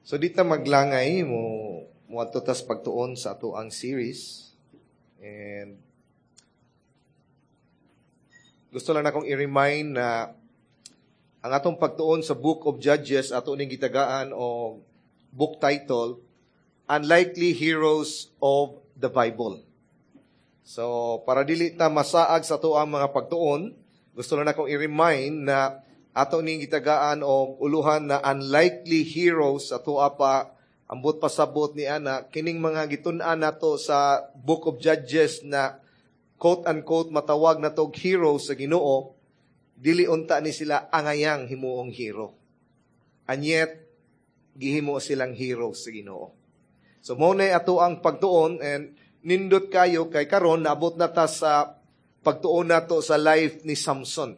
So di ta maglangay mo moadto tas pagtuon sa atoang series. And gusto lang akong i-remind na ang atong pagtuon sa Book of Judges, ato ning gitagaan og book title, Unlikely Heroes of the Bible. So, para dili ta masaag sa ato ang mga pagtuon, gusto lang akong i-remind na ato ning gitagaan og uluhan na Unlikely Heroes. Ato pa ambot pasabot ni ana kining mga gitun-an nato sa Book of Judges na quote unquote matawag nato og heroes sa Ginoo, dili unta ni sila angayang himuong hero. And yet gihimo silang heroes sa Ginoo. So mao na ato ang pagtuon, and nindot kayo kay karon naabot na ta sa pagtuon nato sa life ni Samson.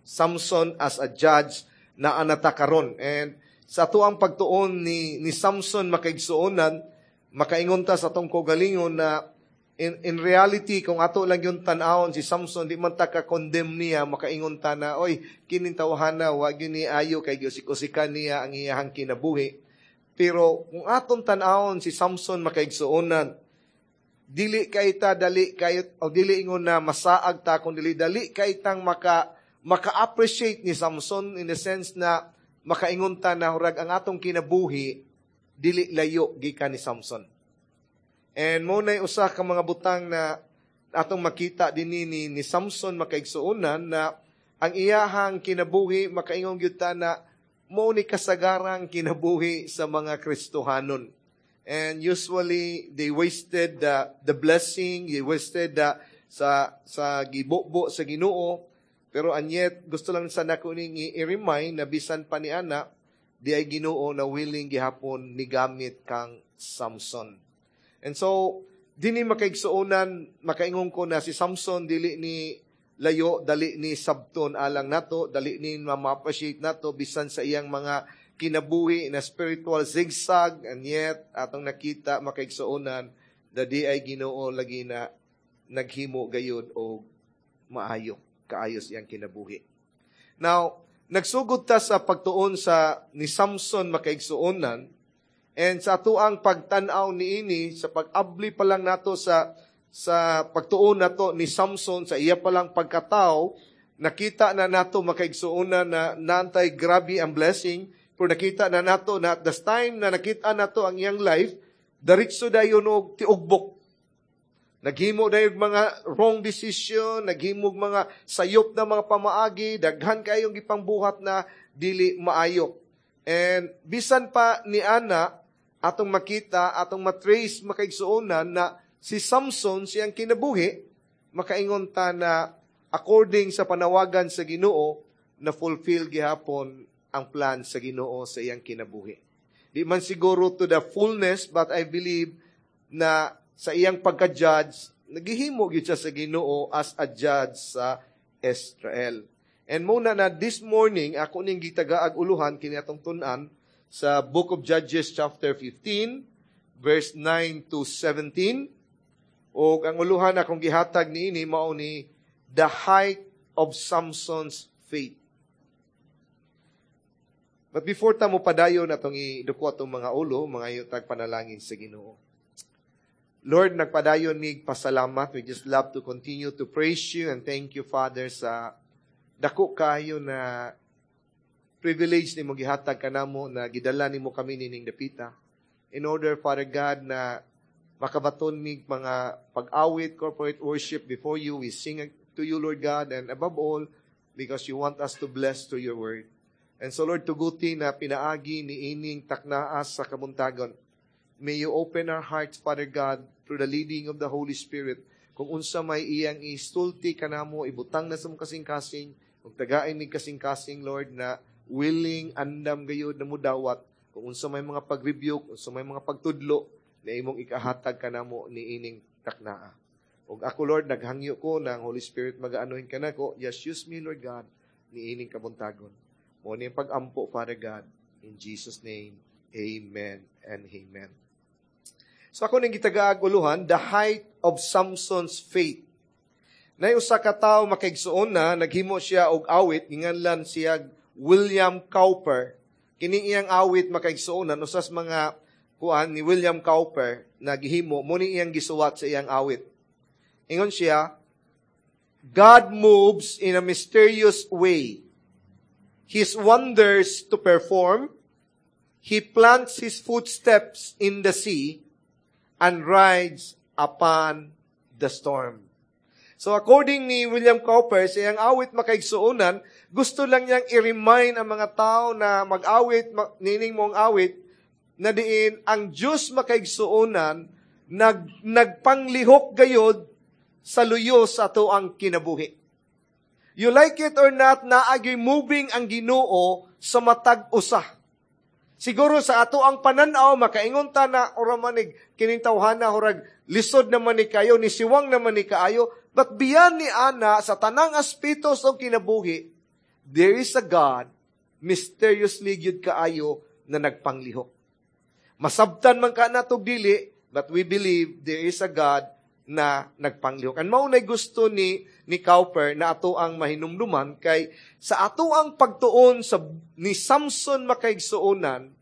Samson as a judge na anata karon. And sa ato ang pagtuon ni Samson, makaigsuonan, makaingon ta sa atong kaugalingon na in reality, kung ato lang yung tan-awon si Samson, di man ta ka-condemn niya, makaingon ta na, "Oy, kining tawhana, wa gyud ni ayo kay giusik-usikan niya ang iyahang kinabuhi." Pero kung atong tan-awon si Samson, makaigsuonan, dili kay ta dali kay o dili ingon na masaag ta, kung dili dali kay tang maka-appreciate ni Samson in the sense na makaingon ta na hurag ang atong kinabuhi dili layo gikan ni Samson. And mo na usa ka mga butang na atong makita dinhi ni Samson, makaigsuonan, na ang iyahang kinabuhi, makaingon gyud ta na mo ni kasagarang kinabuhi sa mga Kristohanon. And usually they wasted the blessing, they wasted the sa gibubo sa Ginoo. Pero and yet gusto lang sa nako ning i-remind na bisan pa ni ana, di ay Ginoo na willing gihapon ni gamit kang Samson. And so dinhi, makaigsuonan, makaingon ko na si Samson dili ni layo, dali ni sabton alang nato, dali ni ma-appreciate nato bisan sa iyang mga kinabuhi na spiritual zigzag, and yet atong nakita, makaigsuonan, da di ay Ginoo lagi na naghimo gayud og maayo kaayos iyang kinabuhi. Now, nagsugod ta sa pagtuon sa ni Samson, makaigsuonan, and sa atoang pagtan-aw niini, sa pag-abli pa lang nato sa pagtuon nato ni Samson sa iya pa lang pagkatao, nakita na nato, makaigsuonan, na nantay grabe ang blessing, pero nakita na nato na at the time na nakita nato ang iyang life, diretso dayon og tiugbok. Naghimo dayon mga wrong decision, naghimo mga sayop na mga pamaagi, daghan kayong gipangbuhat na dili maayo. And bisan pa ni ana, atong makita, atong matrace, makaigsuonan, na si Samson siyang kinabuhi, makaingon ta na according sa panawagan sa Ginoo, na fulfill gihapon ang plan sa Ginoo sa iyang kinabuhi. Di man siguro to the fullness, but I believe na sa iyang pagka-judge, naghihimo gyud siya sa Ginoo as a judge sa Israel. And muna na this morning, ako ning gitagaag uluhan kini atong tun-an sa Book of Judges chapter 15, verse 9 to 17. Og ang uluhan akong gihatag niini mao ni The Height of Samson's Faith. But before ta mo padayon, atong iduko atong mga ulo, mga tag panalangin sa Ginoo. Lord, nagpadayon mig pasalamat. We just love to continue to praise you and thank you, Father, sa dako kayo na privilege nimo gihatag kanamo na gidala nimo kami nining dapita. In order, Father God, na makabaton mig mga pag-awit, corporate worship before you, we sing to you, Lord God, and above all, because you want us to bless to your word. And so, Lord, tuguti na pinaagi ni ining taknaas sa kabuntagon. May you open our hearts, Father God, through the leading of the Holy Spirit. Kung unsa may iyang isulti kanamo, ibutang na sa mong kasing-kasing, kung tagain mig kasing-kasing, Lord, na willing, andam gayud na mudawat, kung unsa may mga pag-rebuke, unsa may mga pagtudlo, na imong ikahatag kanamo ni ining taknaa. Ug ako, Lord, naghangyo ko na ang Holy Spirit magaanohin kanako. Just use me, Lord God, ni ining kabuntagon. Mo ni pag-ampo, Father God. In Jesus' name, amen and amen. So ako ning gitagaag uluhan, The Height of Samson's Faith. Nay usa ka tawo, makaigsuon, na naghimo siya og awit, ginganlan siya William Cowper. Kining iyang awit, makaigsuonan, usas mga kuan ni William Cowper na gihimo, mo ni iyang gisuwat sa iyang awit. Ingon siya, "God moves in a mysterious way, His wonders to perform. He plants His footsteps in the sea and rides upon the storm." So according ni William Cowper, sa iyang awit, makaigsuonan, gusto lang niyang i-remind ang mga tao na mag-awit, nining mong awit, na diin ang Diyos, makaigsuonan, nagpanglihok gayod sa luyo sa ato ang kinabuhi. You like it or not, naagay moving ang Ginoo sa matag usa. Siguro sa ato ang pananaw, makaingon ta na ora manig kining tawhana, hurag lisod naman ni kayo, ni siwang naman ni kaayo, but beyond ni ana, sa tanang aspeto sa kinabuhi, there is a God mysteriously gyud kaayo na nagpanglihok. Masabtan man ka natog dili, but we believe there is a God na nagpanglihok. And mao nay gusto ni Cowper na ato ang mahinumduman kay sa ato ang pagtuon sa ni Samson, makaigsuonan,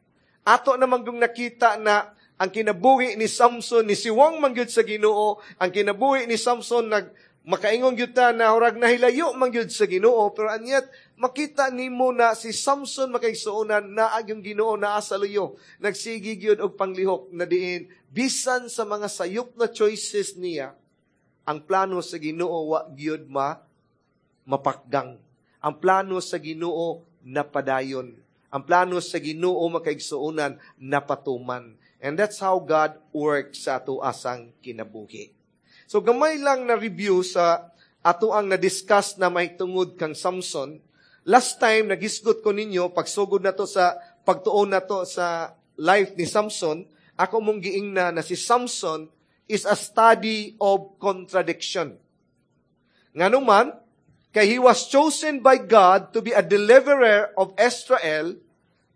ato namang yung nakita na ang kinabuhi ni Samson ni siwang man gyud sa Ginoo, ang kinabuhi ni Samson nag makaingon gyud ta na hurag nahilayo man gyud sa Ginoo, pero and yet makita nimo na si Samson, makaigsuonan, naa yung Ginoo naa sa luyo, nagsigi gyud og panglihok na diin bisan sa mga sayop na choices niya, ang plano sa Ginoo wa gyud mapakgang. Ang plano sa Ginoo napadayon. Ang plano sa Ginoo, makaigsuonan, napatuman. And that's how God works sa ato asang kinabuhi. So gamay lang na review sa ato ang na-discuss na may tungod kang Samson. Last time, nagisgot ko ninyo, pagsugod na to sa pagtuon na to sa life ni Samson, ako mong giingna na si Samson is a study of contradiction. Nganuman, kay he was chosen by God to be a deliverer of Israel,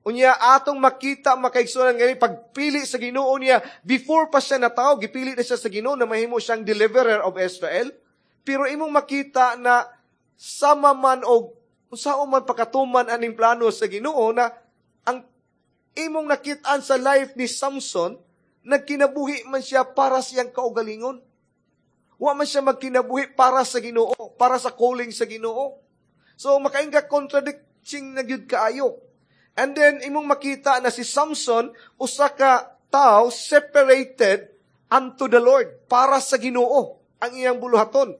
unya atong makita, makaigsuonan, ngayon pagpili sa Ginoo niya, before pa siya natawo, gipili na siya sa Ginoo na mahimo siyang deliverer of Israel. Pero imong makita na sama man og unsaon man pakatuman aning plano sa Ginoo na ang imong nakitaan sa life ni Samson, nagkinabuhi man siya para siyang kaugalingon. Wa man siya magkinabuhi para sa Ginoo, para sa calling sa Ginoo. So makainga contradicting na gyud kaayo. And then imong makita na si Samson usa ka tawo separated unto the Lord, para sa Ginoo ang iyang buluhaton.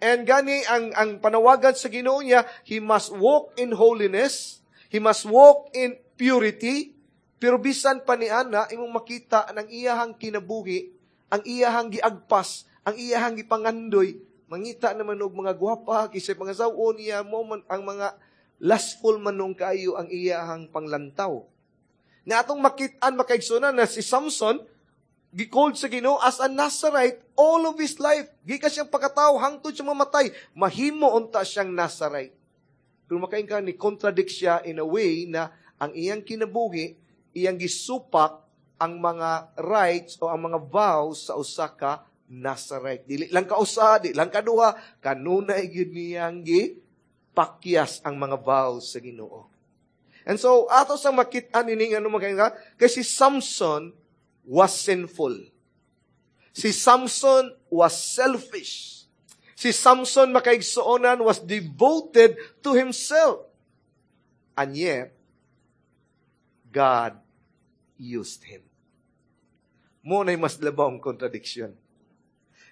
And gani ang panawagan sa Ginoo niya, he must walk in holiness, he must walk in purity, pero bisan pa ni ana, imong makita ang iyahang kinabuhi, ang iyahang giagpas, ang iyahang gipangandoy, mangita naman og mga gwapa, kisay pangasaw-on niya mo man, ang mga lustful man nung kaayo ang iyahang panglantaw. Na atong makit-an, makaigsuonan, na si Samson, gi-called sa Ginoo as a Nazarite all of his life. Gikan siyang pagkatao hangtod siya mamatay, mahimo unta siyang Nazarite. Pero makain ka ni contradict siya in a way na ang iyang kinabuhi, iyang gisupak ang mga rights o ang mga vows sa usa ka Nazarite. Dili lang ka usa, di lang ka duha, kanunay gyud niyang gipakyas ang mga vows sa Ginoo. And so, ato sa makit-an ini ano makain ka, kay si Samson was sinful. Si Samson was selfish. Si Samson, makaigsuonan, was devoted to himself. And yet, God used him. Mo na'y mas labawng contradiction.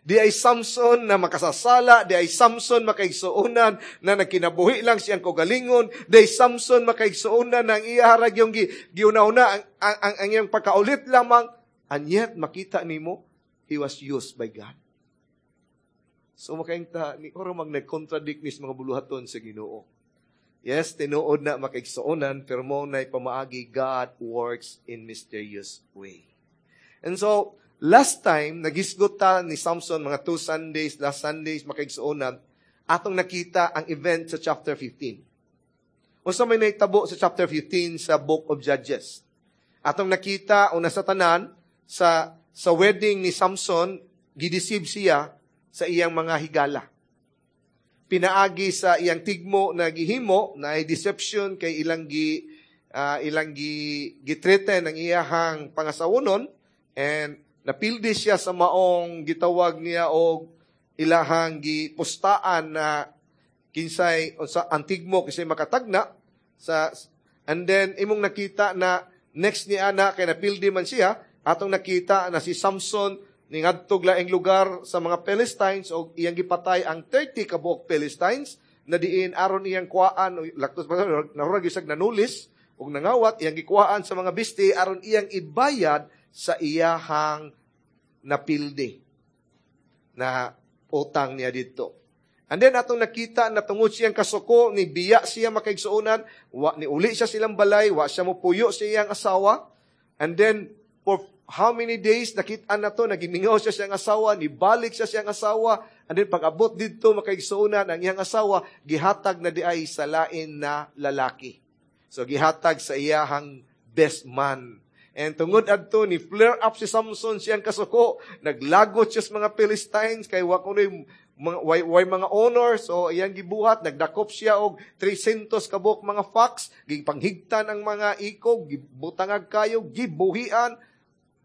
Di ay Samson na makasasala, di ay Samson, makaigsuonan, na nagkinabuhi lang siyang kaugalingon, di ay Samson, makaigsuonan, na ang iyaharag yung giuna-una, ang iyang pagkaulit lamang, and yet, makita nimo, he was used by God. So makaingta, ni oro mag nag-contradict ni mga buluhaton sa Ginoo. Yes, tinuod na, makaigsuonan, pero mo na'y pamaagi, God works in mysterious way. And so, last time, nagisgot ta ni Samson, mga 2 Sundays, last Sundays, makaigsuonan, atong nakita ang event sa chapter 15. Unsa may nahitabo sa chapter 15 sa Book of Judges? Atong nakita, una sa tanan, sa wedding ni Samson, gideceive siya sa iyang mga higala. Pinaagi sa iyang tigmo na gihimo, na deception kay ilang gi Ilang gi-threaten ang iyahang pangasawonon and napildi siya sa maong gitawag niya og ilahang gipustaan na kinsay sa antigmo kinsay makatagna sa. And then imong nakita na next ni ana kay napildi man siya, atong nakita na si Samson ningadtog laing lugar sa mga Philistines og iyang gipatay ang 30 ka buok Philistines na diin aron iyang kuhaan laktos nahurag isag nanulis og nangawat, iyang gikuhaan sa mga bisti aron iyang ibayad sa iyahang napildi na utang niya dito. And then atong nakita na tungod siyang kasuko, ni biya siya makaigsuonan, wa ni uli siya silang balay, wa siya mopuyo sa iyang asawa. And then for how many days nakita na to, nagimingaw siya siyang asawa, nibalik siya siyang asawa, and then pag-abot didto, makaigsuonan, ang iyang asawa gihatag na diay sa lain na lalaki. So gihatag sa iyahang best man. And tungod adto ni flare up si Samson siyang kasuko, naglagot siya sa mga Philistines kay wa kunoy mga way mga honor. So iyang gibuhat, nagdakop siya og 300 ka buok mga fox, gipanghigtan ang mga ikog, gibutangag kayo, gibuhian,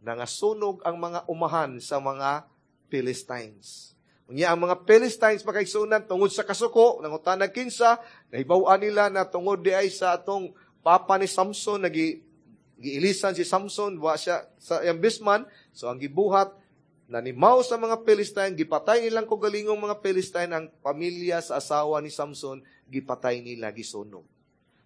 nangasunog ang mga umahan sa mga Philistines. Unya ang mga Philistines, makaigsuonan, tungod sa kasuko, nangutanag kinsa, nahibaw-an nila na tungod di ay sa atong papa ni Samson, nagi giilisan si Samson, wa siya sa iyang best man. So ang gibuhat, nanimaw sa mga Philistine, gipatay nilang kaugalingong mga Philistine ang pamilya sa asawa ni Samson, gipatay nila, gisunog.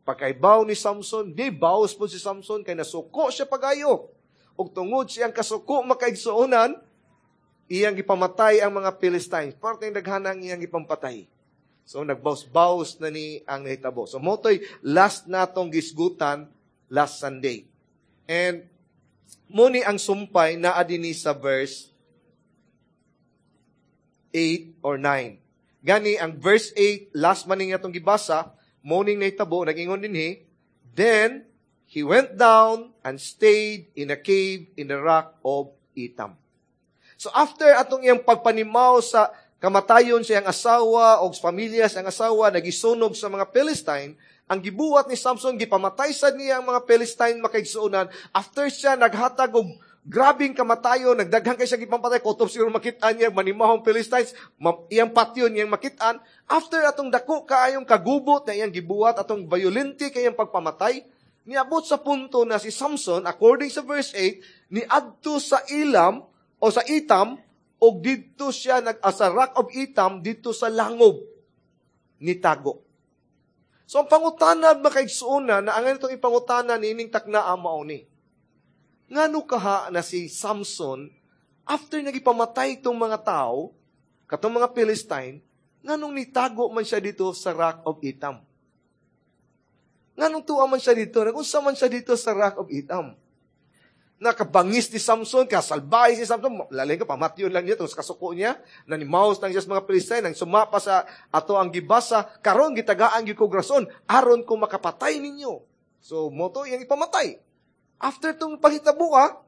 Pagkaibaw ni Samson, di baos po si Samson, kay nasuko siya pagayo. Ug tungod siyang kasuko, makaigsuonan, iyang gipamatay ang mga Philistines. Parte yung daghanang iyang gipampatay. So nagbaus-baus na ni ang nahitabo. So mao to'y last natong gisgutan last Sunday. And mao ni ang sumpay naa dinhi sa verse 8 or 9. Gani, ang verse 8, last man nga itong gibasa, mao ning nahitabo, nagingon dinhi, "Then he went down and stayed in a cave in the rock of Etam." So after atong iyang pagpanimaw sa kamatayon sa iyang asawa o sa pamilya sa iyang asawa, nagisunog sa mga Philistine, ang gibuhat ni Samson, gipamatay sad niya ang mga Philistine, makaigsuonan. After siya naghatag og grabing kamatayon, nagdaghan kay siya gipampatay, kutob siguro makit-an niya, manimahong Philistines, iyang patyon iyang makit-an. After atong dako kaayong kagubot na iyang gibuhat, atong violente kayang pagpamatay, niabot sa punto na si Samson, according sa verse 8, niadto sa Ilam o sa Etam, o didto siya nag sa rock of Etam, didto sa langob nitago. So ang pangutana, makaigsuonan, na ang itong ipangutana niining takna mao ni: Ngano kaha na si Samson, after nagipamatay itong mga tao, katong mga Philistine, nganong nitago man siya dito sa Rock of Etam? Nganong tuwa man siya dito? Nagunsa man siya dito sa Rock of Etam? Nakabangis ni Samson, kasalbahe si Samson, lalay ka, pamatyon lang niya, tapos kasuko niya, nanimaos lang siya sa mga Philistine, nang sumapa sa ato ang gibasa, karon gitagaan gyud ko rason, aron ko makapatay ninyo. So, mao to iyang ipamatay. After tong pahitabo ka,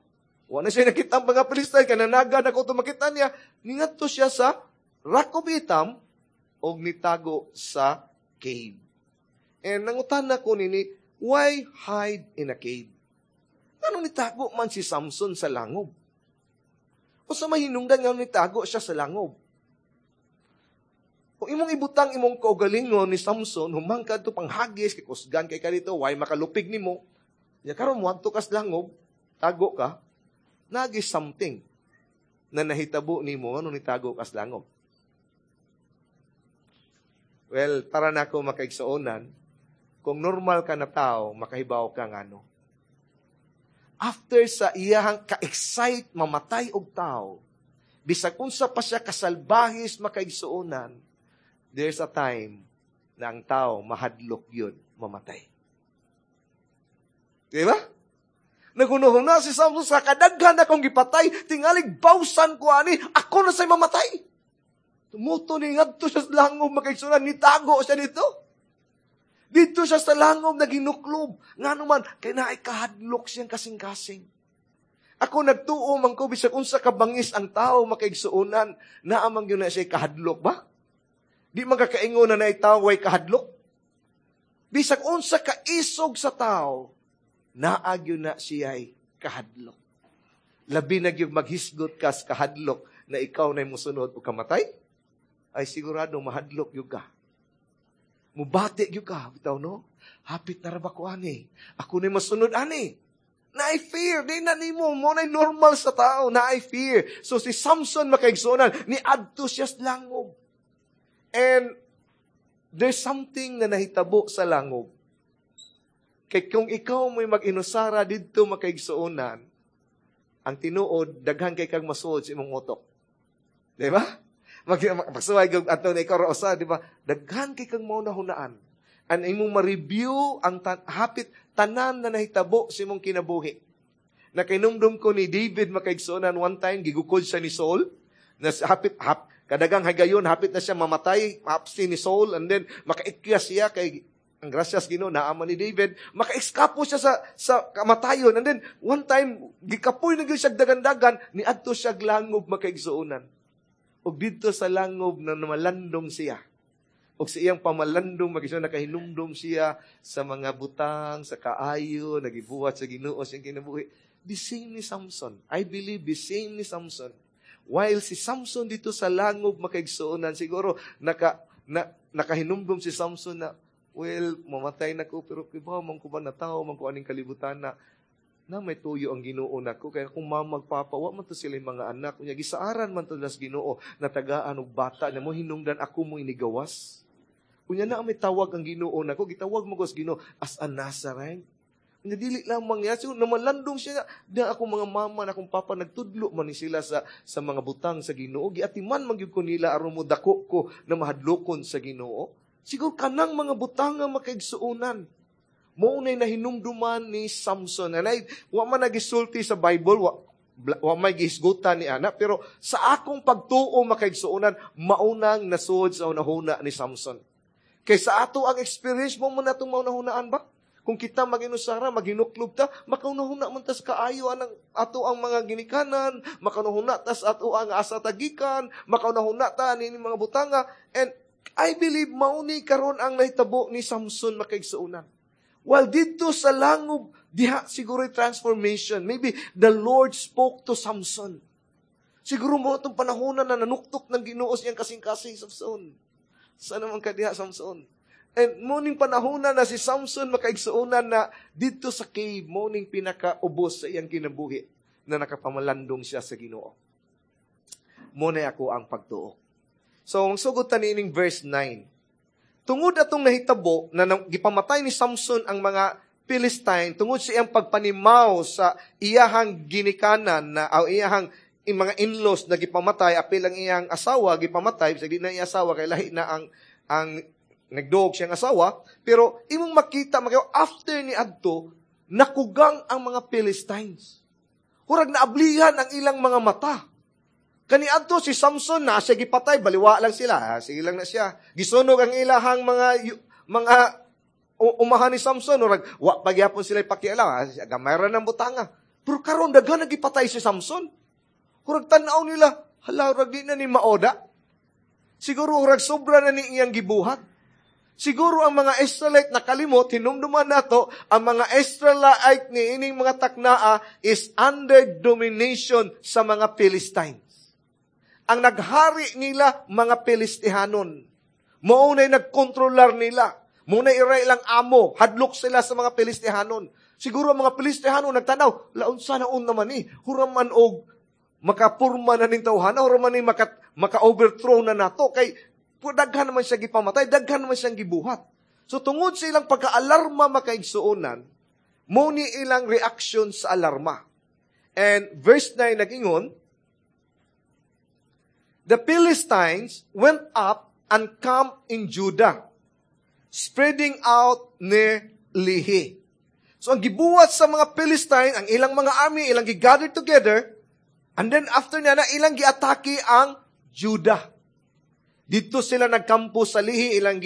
wala na siya nakita ang mga Philistine, kananaga na ko makita niya, ningadto siya sa Rock of Etam, og nitago sa cave. And nangutana ko nini, why hide in a cave? Nganong nitago man si Samson sa langob? O sa mahinungdan nga nitago siya sa langob? Kung imong ibutang imong kaugalingon ni Samson, humangkad to panghagis, kay kusgan kay ka dito, why makalupig nimo? Ya karon moadto ka sa langob, tago ka, nagi something na nahitabo nimo ano nitago ka sa langob. Well, para nako, makaigsuonan, kung normal ka na tao, makahibaw ka ngano. After sa iyahang ka-excite mamatay og tao, bisag unsa pa siya kasalbahis, makaigsuonan, there's a time na ang tao mahadlok yun mamatay. Di ba? Naghunahuna si Samson, sa kadaghan akong gipatay, tingalig bawsan ko ani, ako na sa'y mamatay. Tumuto ni ngadto siya sa langob, makaigsuonan, nitago siya dito. Dito siya sa langob, naginuklob. Nga naman, kay naay kahadlok siyang kasing-kasing. Ako nagtuo man ko, bisag unsa kabangis ang tao, makaigsuonan, naa man gyud na siya kahadlok ba? Di man kakaingon na naay tao way kahadlok. Bisag unsa kaisog sa tao, Naa gyud na siya'y kahadlok. Labi na gyud maghisgot kas kahadlok na ikaw na musunod o kamatay, ay sigurado mahadlok gyud ka. Mubati gyud ka, bitaw, no? Hapit na ra ba ko ani? Ako na masunod ani. Naay fear, di na nimo, mao na normal sa tao, naay fear. So si Samson, makaigsuonan, ni adto siya sa langob. And there's something na nahitabo sa langob. Kay kung ikaw mo'y mag-inusara didto, makaigsuonan, ang tinuod, daghan kay kag masuod sa imong utok. Di ba? Magsuway ato na ikaw ra usa, di ba? Daghan kay kang maunahunaan. Ang imong ma-review ang hapit tanan na nahitabo sa imong kinabuhi. Nakainumdum ko ni David, makaigsuonan, one time gigukod siya ni Saul na hapit kadagang higayon hapit na siya mamatay, hapsi ni Saul, and then makaikya siya kay ang grasyas Ginoo naa man ni David, makaeskapo siya sa kamatayon. And then one time gikapoy na gyud siya dagan-dagan, niadto siya langob, makaigsuonan. Ug didto sa langob na namalandong siya. Ug sa iyang pamalandong, makaigsuonan, nakahinumdum siya sa mga butang, sa kaayo, nagibuhat sa Ginoo sa iyang kinabuhi. The same ni Samson. I believe the same ni Samson. While si Samson dito sa langob, makaigsuonan, siguro nakahinumdum si Samson na, well, mamatay na ko, pero kibaw man ko ba na tao man ko aning kalibutan na may tuyo ang Ginoo nako kaya kung mamagpapa wa man to sila yung mga anak unya gisaaran man to las Ginoo na tagaan og bata na mo hinungdan ako mo inigawas. Unya na may tawag ang Ginoo nako, gitawag mo ko sa Ginoo as a Nazarite. Unya dili lang mangyari, siguro namalandong siya na akong mga mama na akong papa nagtudlo man ni sila sa mga butang sa Ginoo, giatiman man gyud ko nila aron mo dako ko na mahadlokon sa Ginoo. Siguro kanang mga butang nga, makaigsuonan, mao nay nahinumduman ni Samson. And I, wa man nagisulti sa Bible, wa may gihisgutan ni ana, pero sa akong pagtuo, makaigsuonan, maunang nasud sa unahuna ni Samson. Kay sa ato ang experience mo mo natong maunahunaan ba? Kung kita maginusara, maghinuklob ta, makaunahuna man tas kaayo anang ato ang mga ginikanan, makaunahuna tas ato ang asa tagikan, makaunahuna ta ni mga butanga. And I believe mauni karon ang nahitabo ni Samson, makaigsuonan. While didto sa langob, diha siguro transformation. Maybe the Lord spoke to Samson. Siguro mao itong panahon na nanuktok ng Ginoo siyang kasing-kasing, "Samson. Sana man ka diha, Samson?" And mao ning panahon na si Samson, makaigsuonan, na didto sa cave, mao ning pinakaubos sa iyang kinabuhi na nakapamalandong siya sa Ginoo. Mao na ako ang pagtuo. So, ang sugod ta niining verse 9. Tungod atong nahitabo na gipamatay ni Samson ang mga Philistine, tungod sa iyang pagpanimaw sa iyahang ginikanan na o iyahang mga in-laws na gipamatay, apil ang iyang asawa gipamatay, sa di na iya asawa kay lahi na ang nagduog siyang asawa, pero imong makita makayo after ni adto nakugang ang mga Philistines. Hurag naablihan ang ilang mga mata. Kani adto si Samson na siya gipatay, baliwa lang sila. Ah, sige lang na siya. Gisunog ang ilahang mga umahan ni Samson, murag wa pagyapon sila pakialam. Ah, gamay ra ng butanga. Pero karon daghan nagipatay si Samson. Murag tan-aw nila, hala, murag di na ni maoda. Siguro murag sobra na ni iyang gibuhat. Siguro ang mga Israelite nakalimot, hinumduman nato, ang mga Israelite ni ining mga taknaa is under domination sa mga Philistines. Ang naghari nila, mga Philistihanon. Mao na'y nagkontrolar nila. Mao na'y iray lang amo. Hadlok sila sa mga Philistihanon. Siguro ang mga Philistihanon nagtanaw, launsa na un naman ni, huraman og makapurma na ning tawhana, huraman ni maka-overthrow na nato. Kay daghan naman siya gipamatay, daghan naman siyang gibuhat. So tungod sa ilang pagka-alarma, makaigsuonan, mao ni ilang reaction sa alarma. And verse 9 nagingon, "The Philistines went up and camped in Judah, spreading out near Lehi." So ang gibuhat sa mga Philistine, ang ilang mga army, ilang gi-gather together, and then after niya na, ilang giatake ang Judah. Dito sila nagkampo sa Lehi, ilang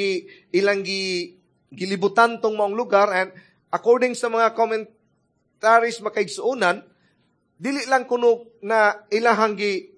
gi gilibutan tong maong lugar, and according sa mga commentaries, makaigsuonan, dili lang kuno na ilahang gi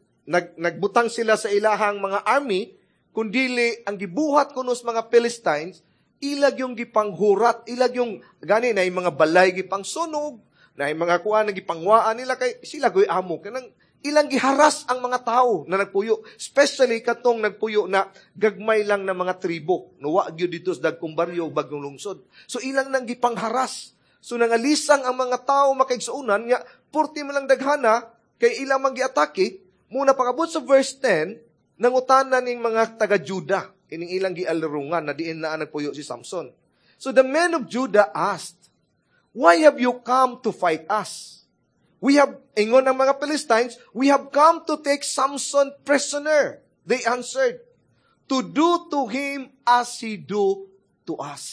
nagbutang sila sa ilahang mga army, kundili ang gibuhat kuno sa mga Philistines, Ilag yung gipanghurat, ilag yung gani na yung mga balay gipangsunog, na yung mga kuan na gipangwaan nila kay sila goy amo kanang ilang giharas ang mga tao na nagpuyo, especially katong nagpuyo na gagmay lang na mga tribo, no wa gyud dito sa dagkong baryo bagong lungsod. So ilang nang gipangharas. So nangalisang ang mga tao, makaigsuonan, nga purti man lang daghana kay ilang man giatake. Muna pag-abot sa verse 10, nangutana ning mga taga-Juda ining ilang gialurungan na diin na nagpuyo si Samson. So the men of Judah asked, "Why have you come to fight us?" We have, ingon ng mga Philistines, "We have come to take Samson prisoner," they answered, "to do to him as he do to us."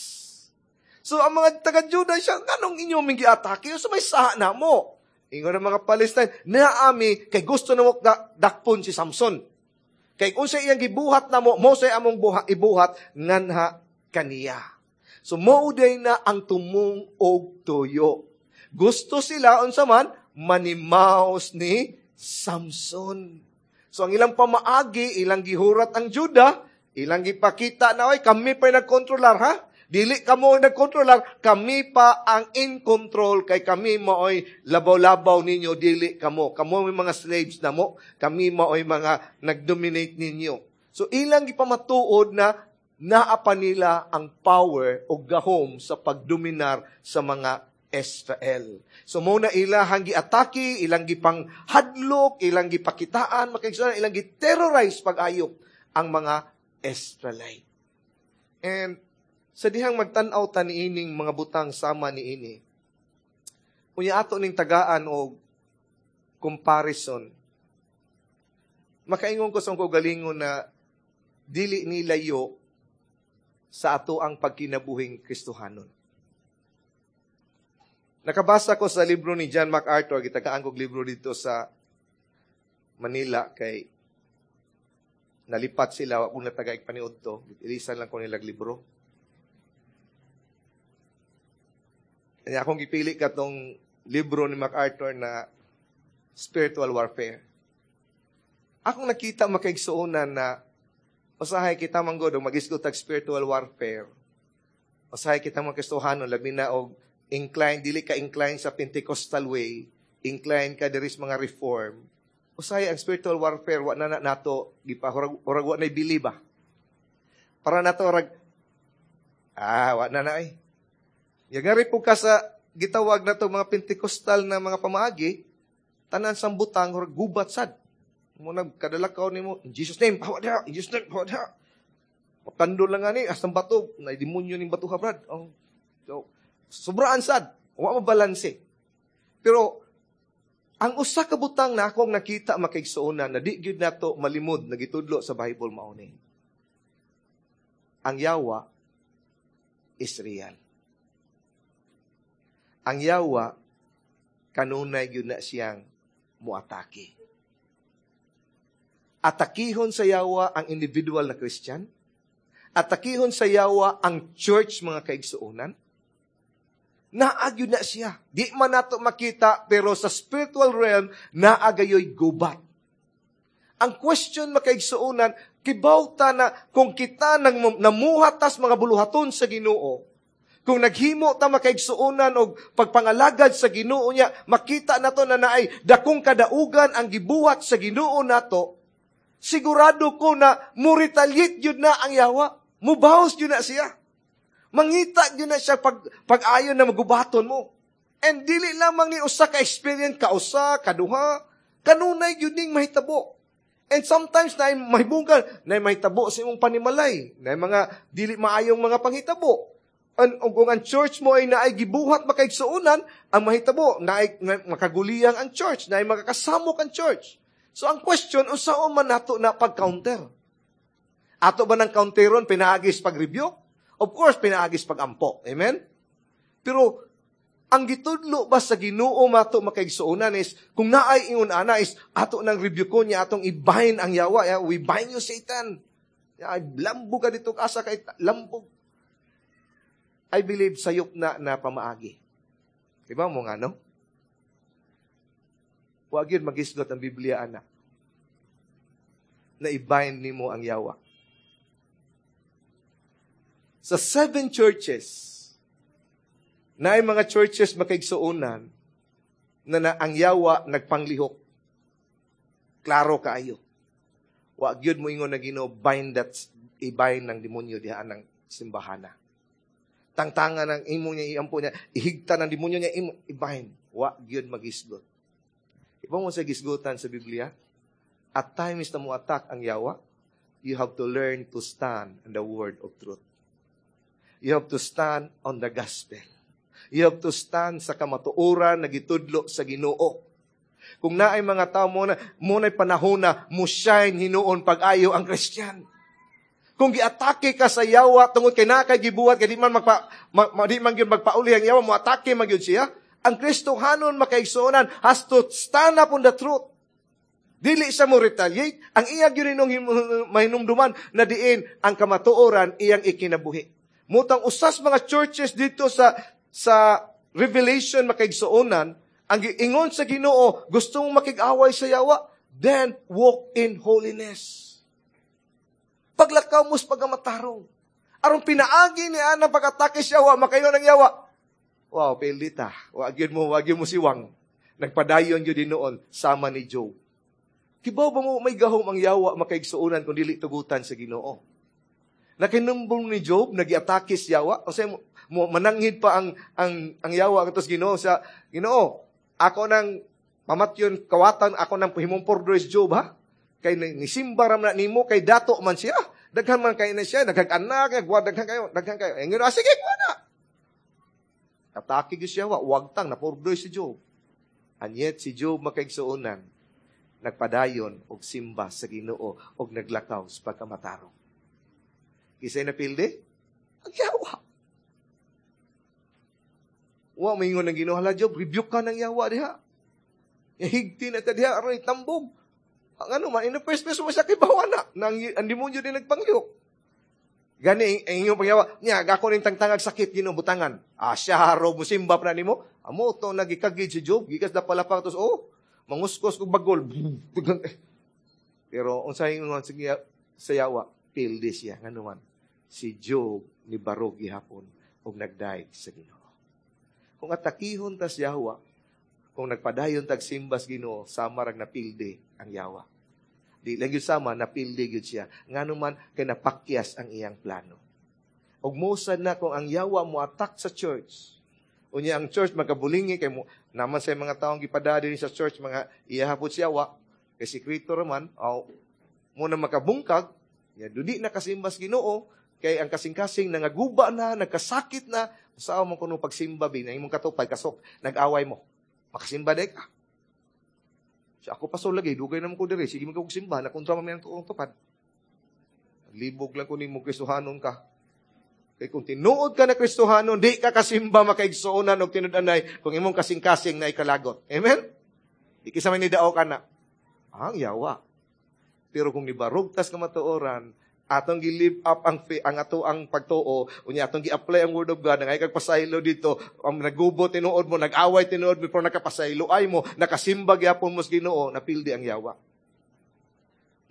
So ang mga taga-Judah siya, "Nganong inyo ming giatake? So may saha na mo." Ingon ng mga Palestine, "Naami, kay gusto na mo dakpon si Samson. Kay kung sa iyang gibuhat na mo, mo sa among ibuhat, nganha kaniya." So mao day na ang tumong og tuyo. Gusto sila unsa man manimaos ni Samson. So ang ilang pamaagi, ilang gihurat ang Juda, ilang gipakita na, "Oy, kami pa nagkontrolar, ha? Dili kamo ang nagkontrolar, kami pa ang in control kay kami maoy labaw-labaw ninyo, dili kamo. Kamo may mga slaves na mo, kami maoy mga nagdominate ninyo." So ilang gipamatuod na naa pa nila ang power o gahom sa pagdominar sa mga Israel. So mo na ilahang giatake, ilang gipang hadlok, ilang gipakitaan, makaigsuonan, ilang gi-terrorize pag-ayo ang mga Israelite. And sa dihang magtan-aw ta niining mga butang sama niini, unya ato ning tagaan og comparison, makaingon ko sa akong kaugalingon na dili ni layo sa ato ang pagkinabuhing Kristohanon. Nakabasa ko sa libro ni John MacArthur, gitagaan kog libro dito sa Manila kay nalipat sila, wa na tagaig paniud to, ilisan lang ko nilag libro. Kaya akong gipili katong libro ni MacArthur na Spiritual Warfare. Akong nakita, makaigsuonan, na usahay kita man gud magisgot tag spiritual warfare. Usahay kita mga Kristohanon, labi na og incline, dili ka incline sa Pentecostal way, incline ka diri sa mga reform. Usahay ang spiritual warfare wa na nato gipa urag wa na believe ba. Para nato urag wa na na ay. Yagari po ka sa gitawag na to mga Pentecostal na mga pamaagi, tanan sang butang urag gubat sad. Mo na kadalakaw nimo, "In Jesus' name, hawa diha, in Jesus' name, hawa diha." Matandol lang nga ni, asang bato, na demonyo ning bato ha, brad. Oh. So, sobraan sad, wa mabalanse. Pero ang usa ka butang na akong nakita, makaigsuonan, na di gyud nato malimod na gitudlo sa Bible mao ni: Ang yawa is real. Ang yawa kanunay gyud na siyang muatake. Atakihon sa yawa ang individual na Christian. Atakihon sa yawa ang church, mga kaigsuonan. Naagyo na siya. Di man nato makita, pero sa spiritual realm, naagayoy gubat. Ang question, makaigsuonan, kibaw ta na kung kita nang namuhat tas mga buluhaton sa Ginoo, kung naghimo ta, makaigsuonan, og pagpangalagad sa Ginoo niya, makita nato na naay dakong kadaugan ang gibuhat sa Ginoo nato, sigurado ko na muretaliate yun na ang yawa. Mubawas yun na siya. Mangita yun na siya pag-ayon na magubaton mo. And dili lamang ni usa ka experience, kausa, kaduha, kanunay yun ning mahitabo. And sometimes na mahibungkan, na mahitabo sa imong panimalay, na mga dili maayong mga panghitabo. And kung ang church mo ay naay gibuhat, makaigsuonan, ang mahitabo, naay makaguliyang ang church, naay makakasamok ang church. So ang question, unsaon man nato na pag-counter? Ato ba ng counteron pinaagis pag-review? Of course, pinaagis pag-ampo. Amen? Pero ang gitudlo ba sa Ginoo mato, makaigsuonan, is kung naay ingon ana is ato nang review ko niya, atong i-bind ang yawa. Yeah, we bind you, Satan. Yeah, lambog ka dito asa kay lambog. I believe sayop na na pamaagi. Diba mo nga, no? Huwag yun magisgot ang Biblia, ana, na i-bind nimo ang yawa. Sa seven churches, na ay mga churches, makaigsuonan, na ang yawa nagpanglihok. Klaro kaayo. Wa gyud mo ingon na Ginoo, bind that, i-bind ng demonyo diha ng simbahana. Tangtangan ng imo niya, iampo niya, ihigta ng demonyo niya, imo, i-bind. Wa gyud magisgot. Iba mo sa gisgutan sa Biblia, at times na mo attack ang yawa, you have to learn to stand on the word of truth. You have to stand on the gospel. You have to stand sa kamatuoran na gitudlo sa Ginoo. Kung naay mga tao mo na panahon na mo shine hinuon pag-ayo ang Christian. Kung giatake ka sa yawa tungod kay naa kay gibuhat kay di man gyud magpauli ang yawa, mo atake man gyud siya. Ang Kristohanon, makaigsuonan, has to stand up on the truth. Dili siya mo retaliate. Ang iya gyud inong mahinumduman na diin ang kamatuoran iyang ikinabuhi. Mao tong usas mga churches dito sa Revelation, makaigsuonan, ang giingon sa Ginoo, gusto mong makig-away sa yawa, then walk in holiness. Paglakaw mo sa pagkamatarong. Aron pinaagi ni ana pag-atake siya, wa makayo ng yawa. Wow, pilita. Wa gyud mo siwang. Nagpadayon gyud noon sama ni Job. Kibaw ba mo may gahom ang yawa, makaigsuonan, kung dili tugutan sa Ginoo? Nakinumbong ni Job, nagiatake si yawa. O mo, mo mananghid pa ang yawa katos Ginoo sa Ginoo. Ako nang pamatyon kawatan, ako nang himong pordor si Job ha. Kay nisimba ra man nimo kay dato man siya. Daghan man kay na siya, daghang anak, daghan kayo, daghan kayo. Ingon, ah, sige, kuha na. Atake gyud siya, wagtang napurdoy si Job. And yet si Job, makaigsuonan, nagpadayon og simba sa Ginoo og naglakaw sa pagkamatarong. Kisay napildi? Ang yawa. Wa maingon ng Ginoo, "Hala Job, rebuke ka ng yawa diha. Higti na ka diha aron itambog." Ang ano man, in the first place, mo siya kibawa na. Nang, ang demonyo din nagpanglihok. Gani, ang inyong pangyawa, niya, gako ning tangtangag sakit, Ginoo butangan. Ah, siya haro, musimba pa na nimo. Amo, to nagikagid si Job, gikas da palapang, tos, oh, manguskos kog bagol. Pero, unsay ingon sa yawa, pildi siya. Ngano man, si Job ni barog gihapon og nagdayeg sa Ginoo. Kung atakihon tas yawa, kung nagpadayon tag simbas Ginoo, sama rag napildi ang yawa. Di lang yun sama, napildi gyud siya. Ngano man, kay napakyas ang iyang plano. Og mosa na kung ang yawa mo attack sa church, unya ang church magkabulingi kay mo naman sa mga taong gipada din sa church, mga iyahapod siya wa kay sikreto raman aw mo na makabungkag ya dudi na kasimbas Ginoo kay ang kasing-kasing nangaguba na, nagkasakit na, sa mo kuno pagsimba bi na imong katupad kasok nag-away mo makasimba day ka. Siya ako paso lagi, dugay naman ko diri, sige mo simba, na kontra man ang tuong tupad. Libog lang ko nimo, Kristohanon ka. Kay kung tinuod ka na Kristohanon, di ka kasimba, makaigsuonan, og tinud-anay kung imong kasing-kasing na ikalagot. Amen? Di kisa may nidao ka na. Ang yawa. Pero kung nibarog tas kamatuoran, atong gi-live up ang ato ang pagtuo, unya atong gi-apply ang word of God, ngay kag pasaylo dito, ang nagubo tinuod mo, nag-away tinuod mo, pero nakapasaylo ay mo, nakasimba gyapon mo sa Ginoo, napildi ang yawa.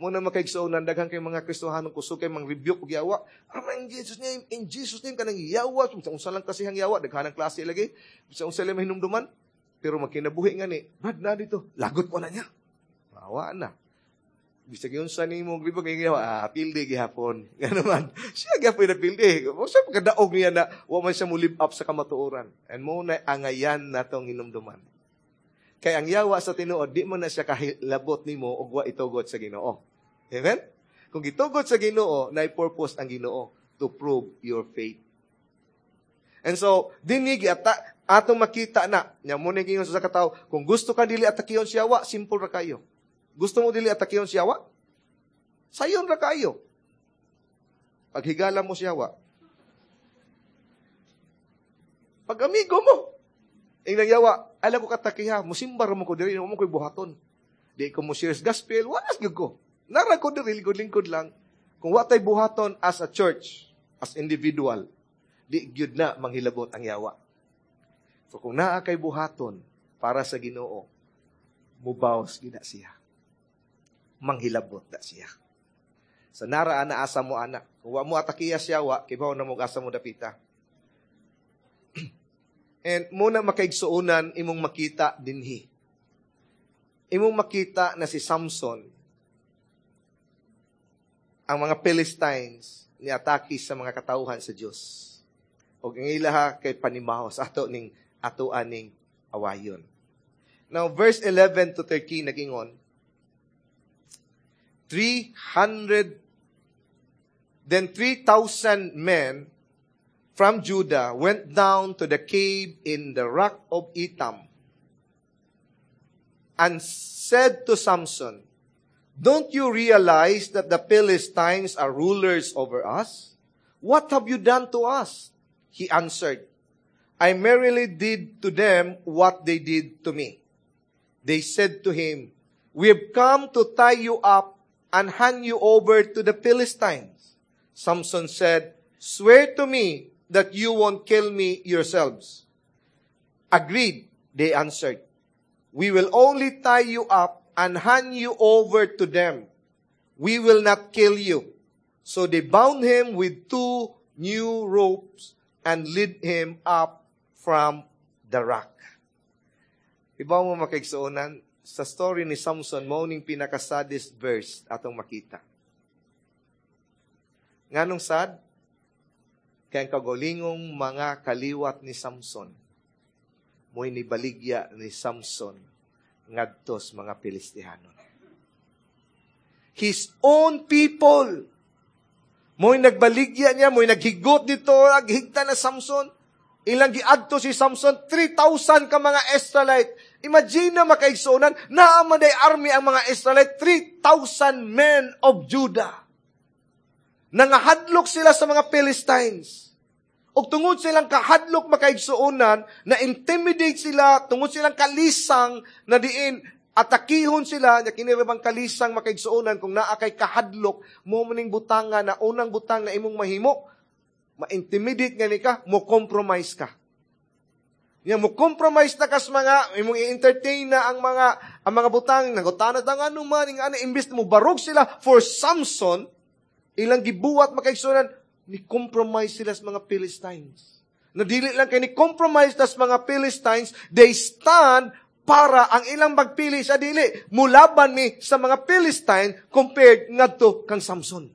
Muna makaigsuonan, daghan kay mga Kristohanon kusog kay mang rebuke og yawa. Aron in Jesus name, in Jesus name kanang yawa, sa unsa lang kasi ang yawa, daghan ang klase lagi. Sa unsa lang mahinumduman. Pero magkinabuhi nga ni, Brad na dito, lagot ko na niya. Mawa na. Bisag yung sa nimo rebuke ng yawa, ah, pildi gihapon. Ngano man, siya gihapon na pildi. O sa pagkadaog niya na wa man siya mo live up sa kamatuoran. And mo na angayan natong hinumduman. Kay ang yawa sa tinuod, di mo na siya kahilabot nimo og wa itugot sa Ginoo. Amen? Kung gitugot sa Ginoo, na purpose ang Ginoo to prove your faith. And so, dinhi ata atong makita na, nya mo ni gingon sa katawo, kung gusto ka dili atakiyon siya wa, simple ra kayo. Gusto mo dili atakiyon siya wa? Sayon ra kayo. Paghigala mo siya wa. Pag amigo mo, ingnang yawa, alam ko katakiha, musimba ra mo ko diri, mo ko'y buhaton. Di ko mo share gospel, wala gyud ko. Nara ko diri, lingkod-lingkod lang. Kung wa tay buhaton as a church, as individual, di gyud na manghilabot ang yawa. So kung naa kay buhaton para sa Ginoo, mubawas gyud na siya. Manghilabot na siya. So nara ana asa mo ana. Kung wa mo atakiya siya wa, kibaw na mo asa mo dapita. And muna, makaigsuonan, imong makita dinhi. Imong makita na si Samson, ang mga Philistines ni atake sa mga katawhan sa Dios. Og ang ilaha kay panimaho sa ato ning ato aning awayon. Now, verse 11 to 13 nagingon, 300, then 3,000 men from Judah went down to the cave in the rock of Etam and said to Samson, "Don't you realize that the Philistines are rulers over us? What have you done to us?" He answered, "I merely did to them what they did to me." They said to him, "We have come to tie you up and hand you over to the Philistines." Samson said, "Swear to me that you won't kill me yourselves." "Agreed," they answered. "We will only tie you up and hand you over to them. We will not kill you." So they bound him with two new ropes and led him up from the rock. Iba mo, makaigsuonan, sa story ni Samson, mao ning pinaka-saddest verse atong makita. Nganong sad? Kay ang kaugalingong mga kaliwat ni Samson, mo'y nibaligya ni Samson ngadto sa mga Pilistihano. His own people, mo'y nagbaligya niya, mo'y naghigot dito, naghigta na Samson. Ilang giadto si Samson, 3,000 ka mga Israelite. Imagine na, makaigsuonan, naa man army ang mga Israelite, 3,000 men of Judah. Nangahadlok sila sa mga Philistines. Og tungod silang kahadlok, makaigsuonan, na intimidate sila, tungod silang kalisang na diin, atakihon sila, nya kini bang kalisang, makaigsuonan, kung naa kay kahadlok, mo maning butanga na unang butang na imong mahimo, ma-intimidate nga ni ka, mo compromise ka. Nya mo compromise na kas mga imong i-entertain na ang mga butang nangutana ta nga ano man nga ana, imbes mo barog sila for Samson, ilang gibuhat, makaigsuonan, ni compromise sila sa mga Philistines. Na dili lang kay ni compromise tas mga Philistines, they stand para ang ilang magpili sa dili mulaban ni sa mga Philistine compared ngadto kang Samson.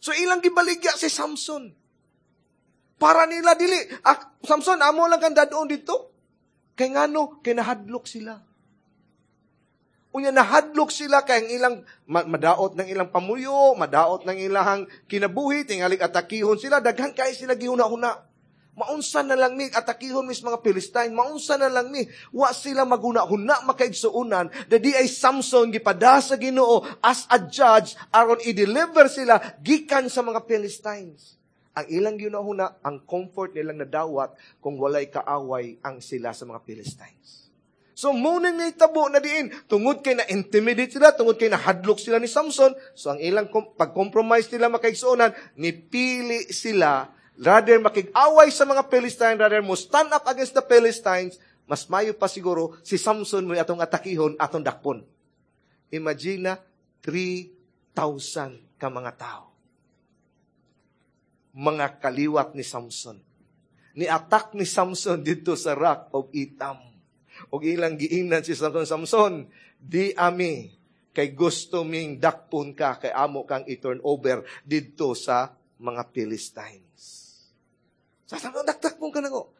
So ilang gibaligya si Samson. Para nila dili, ah, Samson, amo lang kang dadon dito. Kay ngano, kay nahadlok sila. Unya nahadlok sila kay ang ilang madaot ng ilang pamuyo, madaot ng ilang kinabuhi, tingalig atakihon sila, daghan kay sila gihuna-huna. Maunsa na lang ni atakihon mis mga Philistine, maunsa na lang ni wa sila maguna-huna, makaigsuonan, dadi ay Samson gipada sa Ginoo as a judge aron i-deliver sila gikan sa mga Philistines. Ang ilang gihuna-huna, ang comfort nilang nadawat kung walay kaaway ang sila sa mga Philistines. So, muna nitabo na diin, tungod kay na-intimidate sila, tungod kay nahadlok sila ni Samson, so ang ilang pag-compromise nila, makaigsuonan, nipili sila, rather makig-away sa mga Philistine, rather mo stand up against the Philistines, mas mayo pa siguro si Samson mo atong atakihon, atong dakpon. Imagine na, 3,000 ka mga tao. Mga kaliwat ni Samson. Ni-attack ni Samson dito sa Rock of Etam. Og ilang giingnan si Samson, "Samson, di ami kay gusto ming dakpon ka kay amo kang i-turn over didto sa mga Philistines." Sa Samson, "Dakpon ka nako."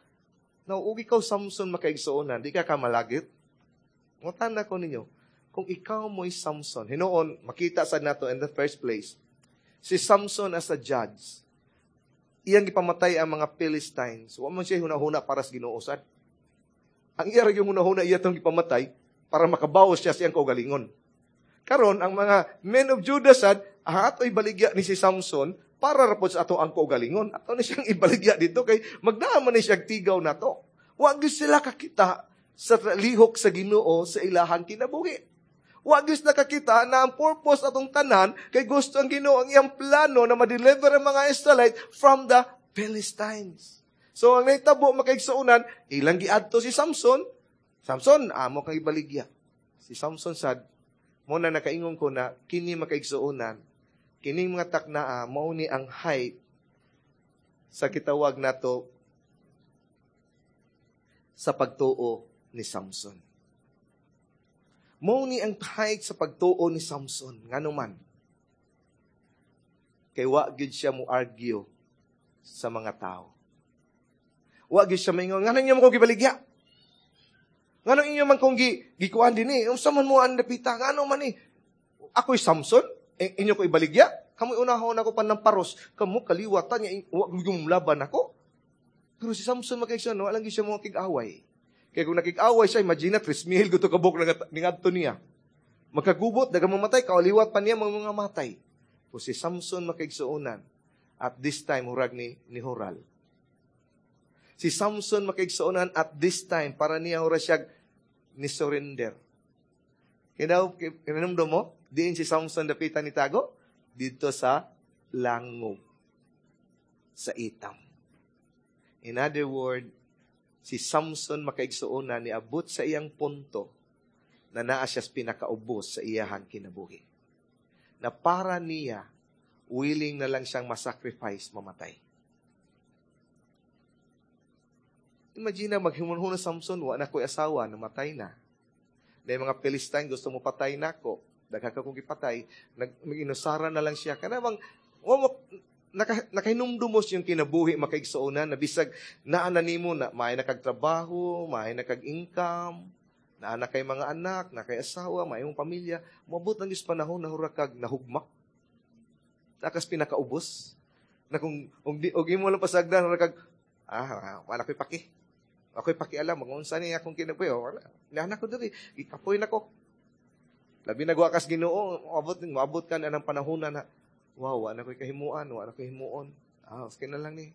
Now, ug ikaw, Samson, makaigsuonan, di ka kamalagit? Ngutana ko ninyo, kung ikaw mo'y Samson, hinuon, makita sa nato in the first place, si Samson as a judge, iyang gipamatay ang mga Philistines, wa man siya hunahuna para sa Ginoo sad. Ang iya ra yung hunahuna, iya tong gipamatay para makabawas siya sa iyang kaugalingon. Karon ang mga men of Judah sad, ah, ato ibaligya ni si Samson para rapod sa ato ang kaugalingon. Ato ni siyang ibaligya dito kay magdaan man ni siya tigaw nato. Wa gyud sila kakita sa lihok sa Ginoo sa ilahang kinabuhi. Wa gyud sila kakita na ang purpose atong tanan kay gusto ang Ginoo, ang iyang plano na ma-deliver ang mga Israelite from the Philistines. So ang nahitabo, makaigsuonan, ilang giadto si Samson. "Samson, amo kang ibaligya." Si Samson sad, mo na nakaingon ko na kini, makaigsuonan, Kining mga taknaa, mao ni ang height sa kitawag nato sa pagtuo ni Samson. Mao ni ang height sa pagtuo ni Samson. Ngano man? Kay wa gyud siya mo argue sa mga tao. Wa gyud siya maingon, "Ngano inyo man ko gibaligya? Ngano inyo man kong gikuan dinhi? Unsa man mo ang dapita? Ngano man ni? Ako'y Samson? Eh, inyo ko ibaligya? Kamoy unahon ako pa ng paros. Kamo kaliwatan niya, wa gyud laban ako." Pero si Samson, mga, wala lang siya mo kig-away. Kaya kung nakig-away siya, imagine na, 3,000 guto kabuk na ningadto niya. Magkagubot, daga mamatay, kaliwat pa niya mga matay. Kung si Samson, makaigsuonan, at this time, hurag ni Horal. Si Samson, makaigsuonan, at this time, para niya hura siya ni surrender. Kaya kinanumdum mo, diin si Samson dapitan ni tago? Dito sa langob. Sa Etam. In other word, si Samson, makaigsuonan, niabot sa iyang punto na naa siya pinakaubos sa iyahang kinabuhi. Na para niya, willing na lang siyang masacrifice, mamatay. Imagine na, maghimunhun na Samson, wa na ko'y asawa, namatay na. Dahil mga Philistine, gusto mo patay na ako. Daghan ka kong gipatay, mag-inusara na lang siya. Kanabang, nakahinumdumos yung kinabuhi makaigsuonan, na bisag naa na nimo na maay na kag trabaho, maay na kag income, naa na kay mga anak, na kay asawa, maay mong pamilya, moabot lang is panahon na hura kag nahugmak. Takas pinakaubos. Na kung di, og imo lang pasagdan, hura kag, wala ko'y paki. Ako'y pakialam, mag-unsa niya akong kinabuhi, oh, wala. Nana ko diri, gikapoy na ko. Labi na kas Ginoo, maabot ka na ng panahon na, wow, wala ko'y kahimuan, wala ko'y himuon. Ah, okay na lang ni.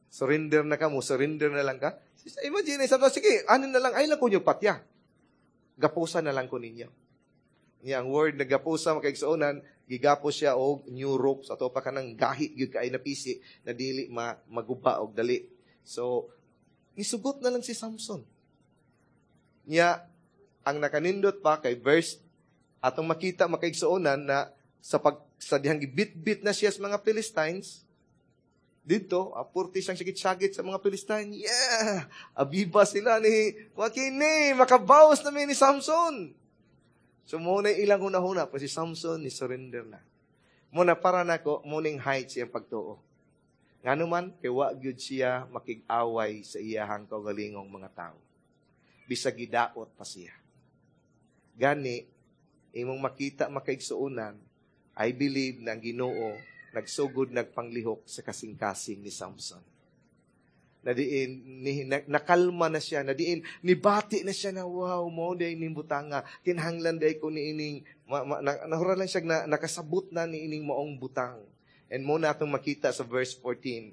Surrender na ka mo, surrender na lang ka. Imagine, sabi, sige, ano na lang, ay lang ko nyo patya. Gapusa na lang ko ninyo. Niya, ang word na gapusa, makaigsuonan, gigapos siya og new ropes, ato pa kanang gahi, gyud kay na pisi, na dili maguba og dali. So, nisugot na lang si Samson. Niya, ang nakanindot pa kay verse, atong makita makaigsuonan na sa dihang gibit-bit na siya sa mga Philistines, dito, apurti siyang sagit-sagit sa mga Philistine. Yeah! Abiba sila ni, wakini, makabawas na ni Samson. So, muna ilang huna-huna, pa si Samson ni surrender na. Muna para nako, muning height siyang pagtuo. Ngano man, kay wa gyud siya makig-away sa iyahang kaugalingong mga tao. Bisag gidaot pa siya. Gani, imong makita makaigsuonan, I believe na ang Ginoo nagsugod nagpanglihok sa kasing-kasing ni Samson. Na diin, nakalma na siya, na diin, nibati na siya na, wow, mo day ning butanga, kinahanglan day ko ni ining, nahura lang siya na, nakasabot na ni ining maong butang. And mo na atong makita sa verse 14,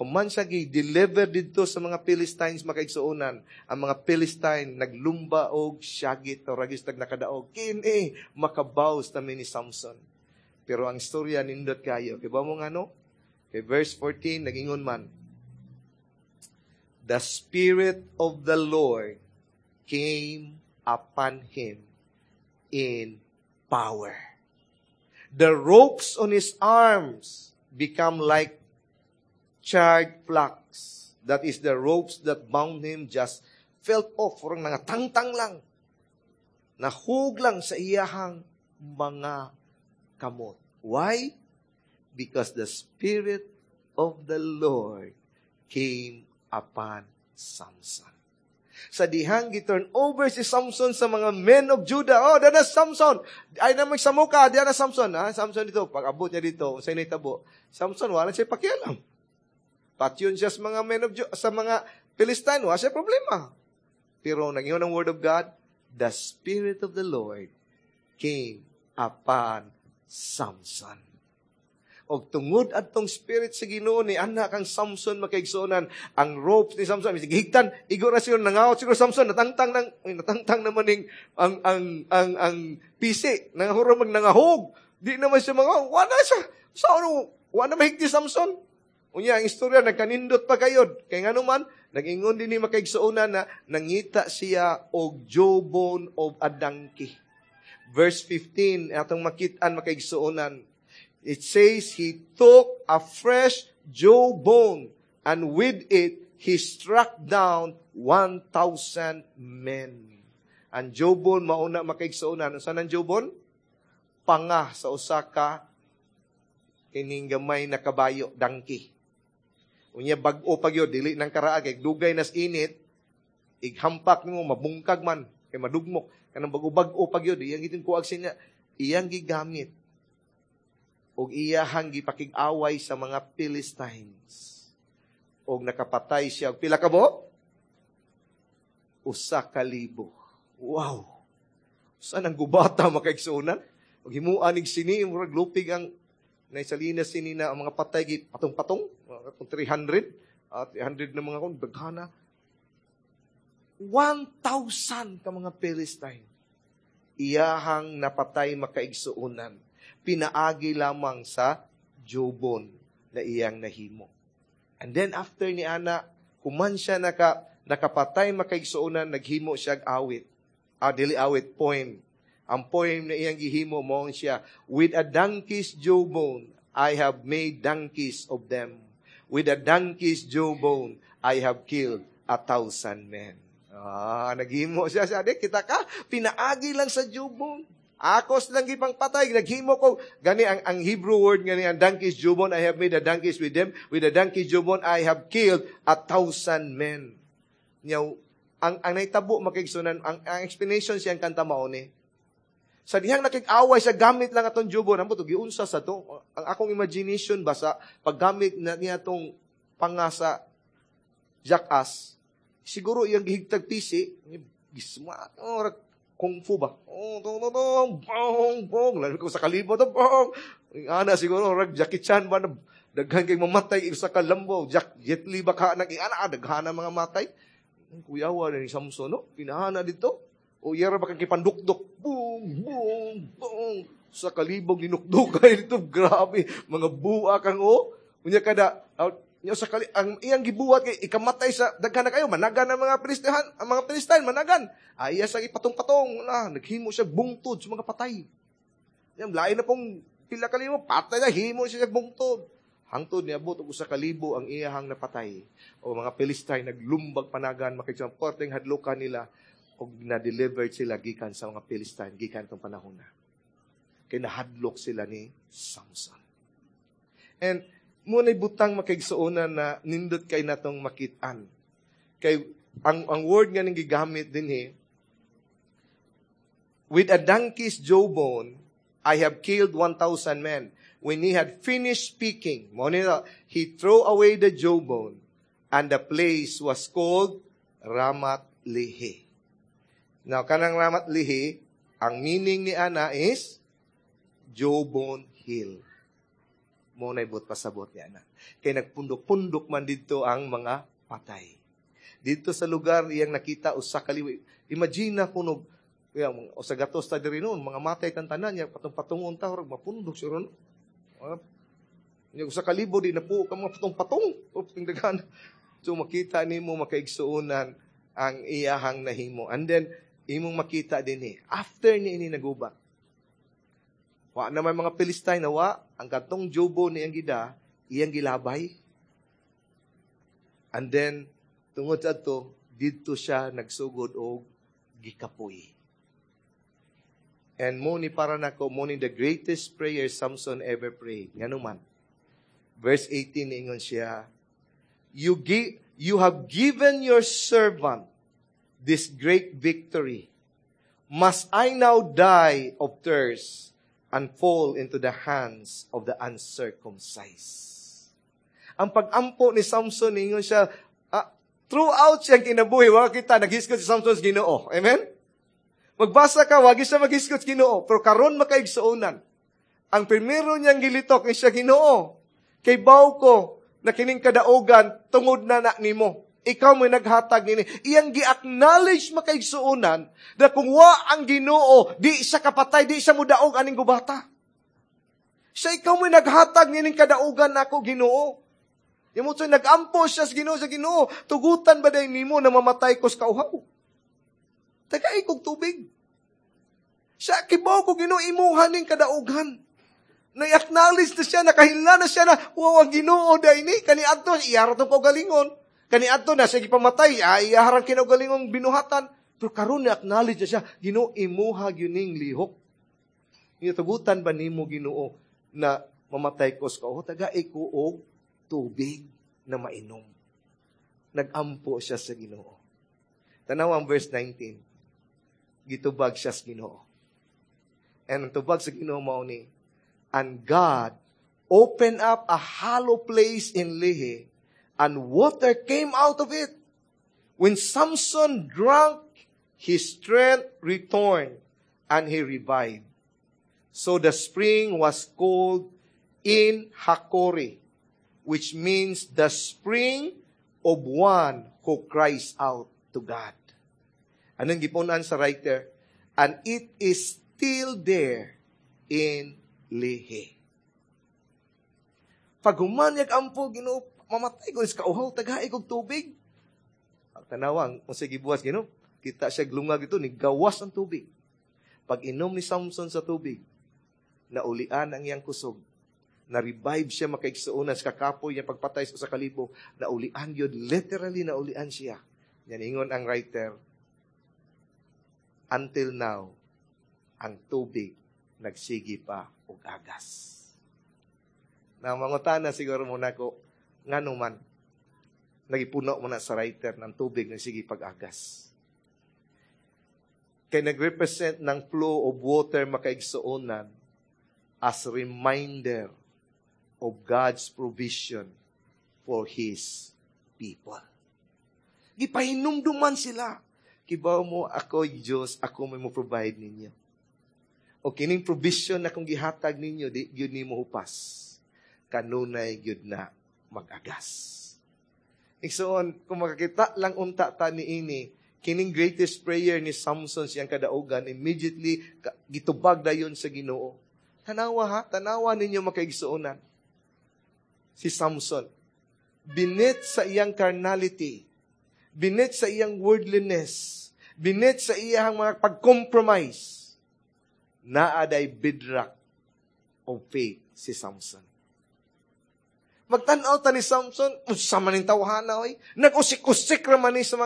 human siya gi-deliver didto sa mga Philistines makaigsuonan, ang mga Philistine naglumba og syagit, o ragis tag nakadaog, kini makabaws na ni Samson. Pero ang istorya nindot kayo. Kay ba mo nga no? Kay verse 14, nagingon man, the Spirit of the Lord came upon him in power. The ropes on his arms become like charred flax. That is, the ropes that bound him just felt off. Furang nangatangtang lang. Nahug lang sa iyahang mga kamot. Why? Because the Spirit of the Lord came upon Samson. Sa dihang gi-turn over si Samson sa mga men of Judah. Oh, dana Samson. Ay na magsamuka, diyan na Samson. Ha? Samson dito, pag abot niya dito, sa initabo. Samson, wala siya pakialam. Patyon siya sa mga men of Judah, sa mga Philistine, wala siya problema. Pero nangyun ang word of God, the Spirit of the Lord came upon Samson. Og tungod adtong spirit sa Ginoo ni anak ang Samson makaigsuonan, ang ropes ni Samson bisig higtan, igo ra siya nangawat siguro Samson, natangtang naman ning ang pisi nangahuro mag nangahog, di naman siya mga wala siya sa ano, wala mahigti Samson. Unya ang istorya nagkanindot pa kayod kay ngano man nag-ingon din ni makaigsuonan na nangita siya og jawbone of a donkey. Verse 15, atong makit-an, makaigsuonan. It says, "He took a fresh jawbone and with it, he struck down 1,000 men." Ang jawbone, mauna, makaigsuonan. Unsa nang jawbone? Panga sa usa ka kining gamay na kabayo, donkey. Unya bag-o pa gyud, dili nang karaa kay dugay nas init, ighampak nimo mabungkag man kay madugmok. Kanang bag-o-bag-o pa gyud, iyang gitin kuag sinya, iyang gigamit og iyahang gipakig-away sa mga Philistines. Og nakapatay siya og pila ka bo? 1,000. Wow! Saan ang gubata, makaigsuonan? Og himuan nig sini, murag lupig ang naisalina sini na ang mga patay gi patong-patong, mga 300, 300 na mga kon daghana. 1,000 ka mga Philistine iyahang napatay, makaigsuonan. Pinaagi lamang sa jawbone na iyang nahimo. And then after ni ana, human siya nakapatay, makaigsuonan, naghimo siya awit. Ah, dili awit, poem. Ang poem na iyang gihimo mo siya, "With a donkey's jawbone, I have made donkeys of them. With a donkey's jawbone, I have killed 1,000 men." Ah, naghimo siya siya. Di, kita ka, pinaagi lang sa jawbone. Ako lang gipang patay, naghimo ko. Gani ang Hebrew word gani ang donkey's jawbone, "I have made a donkeys with them. With a donkey's jawbone, I have killed 1,000 men." Nyaw, ang naitabo, makaigsuonan, ang explanation siyang kanta mao ni. Sa dihang nakig-away sa gamit lang atong jawbone, ambot giunsa sa to. Ang akong imagination ba sa paggamit na niya atong panga sa jackass, siguro iyang gihigtag pisi, gisma, oh, kung fu ba? Oh, tong, tong, tong, bong, bong. Lalo ko sa kalibo, to, bong. Ana, siguro, rag Jackie Chan ba, na, daghan kay mamatay isa ka lambo. Jack, Jet Li ba ka, nag, ana, daghan na mga matay. Kuyawa na ni Samson, no? Pinahana dito. O yara ba kang kipandukdok? Boom, boom, boom. Sa kalibog, ninukdok kayo dito. Grabe. Mga buwa kang, oh. Unya kada, nya sa kali, ang iyang gibuhat kay ikamatay sa daghan na kayo managan ang mga Philistihan, ang mga Philistine managan. Ay iya sa ipatong-patong na naghimo siya bungtod sa mga patay. Yan lain na pong pila ka libo patay na himo siya bungtod. Hangtod niabot og 1,000 ang iyahang napatay. O mga Philistine naglumbag panagan makigsuon porteng hadlokan nila og na-delivered sila gikan sa mga Philistine gikan tong panahon na. Kay nahadlok sila ni Samson. And mo na'y butang, makaigsuonan, na nindot kay natong makit-an. Kay ang word nga ning gigamit din eh, "With a donkey's jawbone, I have killed 1,000 men." When he had finished speaking, mo ni he threw away the jawbone, and the place was called Ramat Lehi. Now, kanang Ramat Lehi, ang meaning ni ana is Jawbone Hill. Mo na ibot pasabot niya na. Kay nagpundok-pundok man dito ang mga patay. Dito sa lugar iyang nakita 1,000. Imagine na kuno kaya o sa gatos ta diri noon, mga matay tan tanan niya patong-patungon ta mapundok siya ron. Nya 1,000 di na po ka mga patong-patong. Daghan. So makita nimo, makaigsuonan, ang iyahang nahimo. And then imong makita din eh, after ni ini naguba, wa naman mga Philistine na wa, ang katong jawbone ni ang gida, iyang gilabay. And then, tungod sa ato, didto siya nagsugod og gikapoy. And mo ni para nako, mo ni the greatest prayer Samson ever prayed. Ngano man? Verse 18, ingon siya, "You have given your servant this great victory. Must I now die of thirst and fall into the hands of the uncircumcised?" Ang pag-ampo ni Samson, ingon siya, throughout siyang kinabuhi, wala kita, naghisgot si Samson sa Ginoo. Amen? Magbasa ka, wagi siya maghisgot sa Ginoo. Pero karon makaigsuonan. Ang primero niyang gilitok ni siya Ginoo. Kay baw ko na kining kadaogan tungod na na nimo. Ikaw mo naghatag nini. Iyang gi-acknowledge, makaigsuonan, na kung wa ang Ginoo, di siya kapatay, di siya mudaog aning gubata. Siya ikaw mo naghatag nining kadaogan nako, Ginoo. Yamo so nagampo siya sa Ginoo. Tugutan ba day nimo na mamatay ko sa kauhaw? Tagai kog tubig. Siya, kibaw ko Ginoo imuha ning kadaugan. Na-acknowledge na siya, nakahila na siya na, wow, ang Ginoo diay ni, kaniadto, iyara tong kaugalingon. Kaniadto na siya gipamatay, ay iyaharang kinaugalingong binuhatan. Pero karon na-acknowledge na siya, Ginoo imuha gyud ning lihok. Gitugutan ba nimo, Ginoo, na mamatay ko sa kauhaw? Tagai ko og tubig na mainom. Nagampo siya sa Ginoo. Tanaw ang verse 19. Gitubag siya sa Ginoo. And ang tubag sa Ginoo mao ni, "And God opened up a hollow place in Lehi, and water came out of it. When Samson drank, his strength returned, and he revived. So the spring was called En Hakkore, which means the spring of one who cries out to God." Anong gipunan sa writer? "And it is still there in Lehi." Pag human ampo, "Ginoo, mamatay ko sa kauhaw, tagai kog tubig." Ang tanawang, kung sige buwas, Ginoo, kita siya glungag ito, ni gawas ang tubig. Pag inom ni Samson sa tubig, naulian ang iyang kusog. Na-revive siya, makaigsuonan, sa kakapoy niya pagpatay sa kalibo. Naulian yun, literally naulian siya. Yan ingon ang writer, "Until now, ang tubig nagsigi pa og agas." Na mangutana siguro mo nako, ngano man nagipuno mo na sa writer ng tubig nagsigi pag-agas? Kay nag-represent ng flow of water, makaigsuonan, as reminder of God's provision for His people. Gipahinumduman sila. Kibaw mo, ako Diyos, ako may mo provide ninyo. O kining provision na kung gihatag ninyo, di gyud nimo hupas. Kanunay gyud na mag-agas. Igsoon, kung makakita lang unta ta ni ini, kining greatest prayer ni Samson siyang kadaugan, immediately gitubag dayon sa Ginoo. Tanawa ha, tanawa ninyo, makaigsuonan. Si Samson, beneath sa iyang carnality, beneath sa iyang worldliness, beneath sa iyang mga pag-compromise, naa day bedrock of faith si Samson. Magtanaw ta ni Samson, unsa man ning tawhana oy? Nag-usik-usik ra man ni sa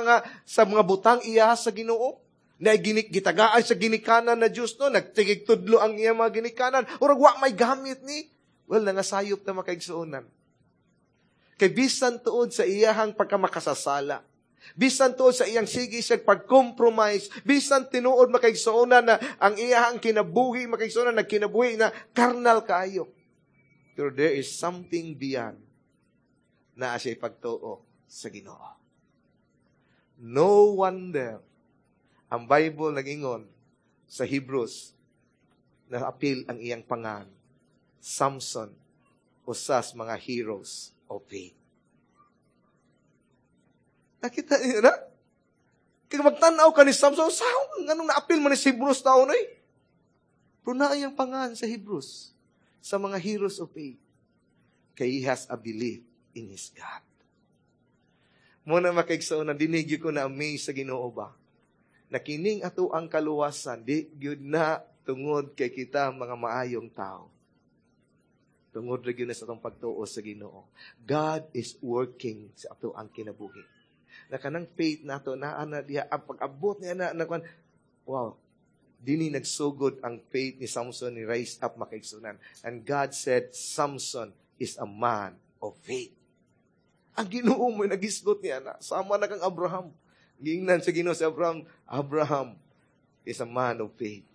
mga butang iya sa Ginoo. Na ginik gitagaan sa ginikanan na Dios no, nagtigig tudlo ang iya mga ginikanan. Urag wa may gamit ni. Well, nangasayop na, makaigsuonan. Kay bisan tuod sa iyahang pagkamakasasala, bisan tuod sa iyang sige siya pag-compromise, bisan tinuod, makaigsuonan, na ang iyahang kinabuhi, makaigsuonan, nagkinabuhi na carnal kaayo. Pero there is something beyond na siya pagtuo sa Ginoo. No wonder ang Bible nagingon sa Hebrews na apil ang iyang pangan, Samson, usas mga heroes of faith. Nakita niyo na? Kaya magtanaw ka ni Samson, sa anong naapil man ni sa Hebrews taon eh? Pero naa iyang pangan sa Hebrews, sa mga heroes of faith. Kay he has a belief in his God. Muna, makaigsoon, na dinigyo ko na amaze sa Ginoo ba? Na kining ato ang kaluwasan, di gyud na tungod kay kita mga maayong tao. Tungod ra gyud na sa atong pagtuo sa Ginoo. God is working sa ato ang kinabuhi. Na kanang faith nato naa na diha ang pag-abot niya na, na wow, dini nagsugod ang faith ni Samson ni rise up, makaigsunan. And God said, "Samson is a man of faith." Ang Ginoo mo nagisgot niya na. Sama na kang Abraham. Gingnan sa Ginoo si Abraham, "Abraham is a man of faith."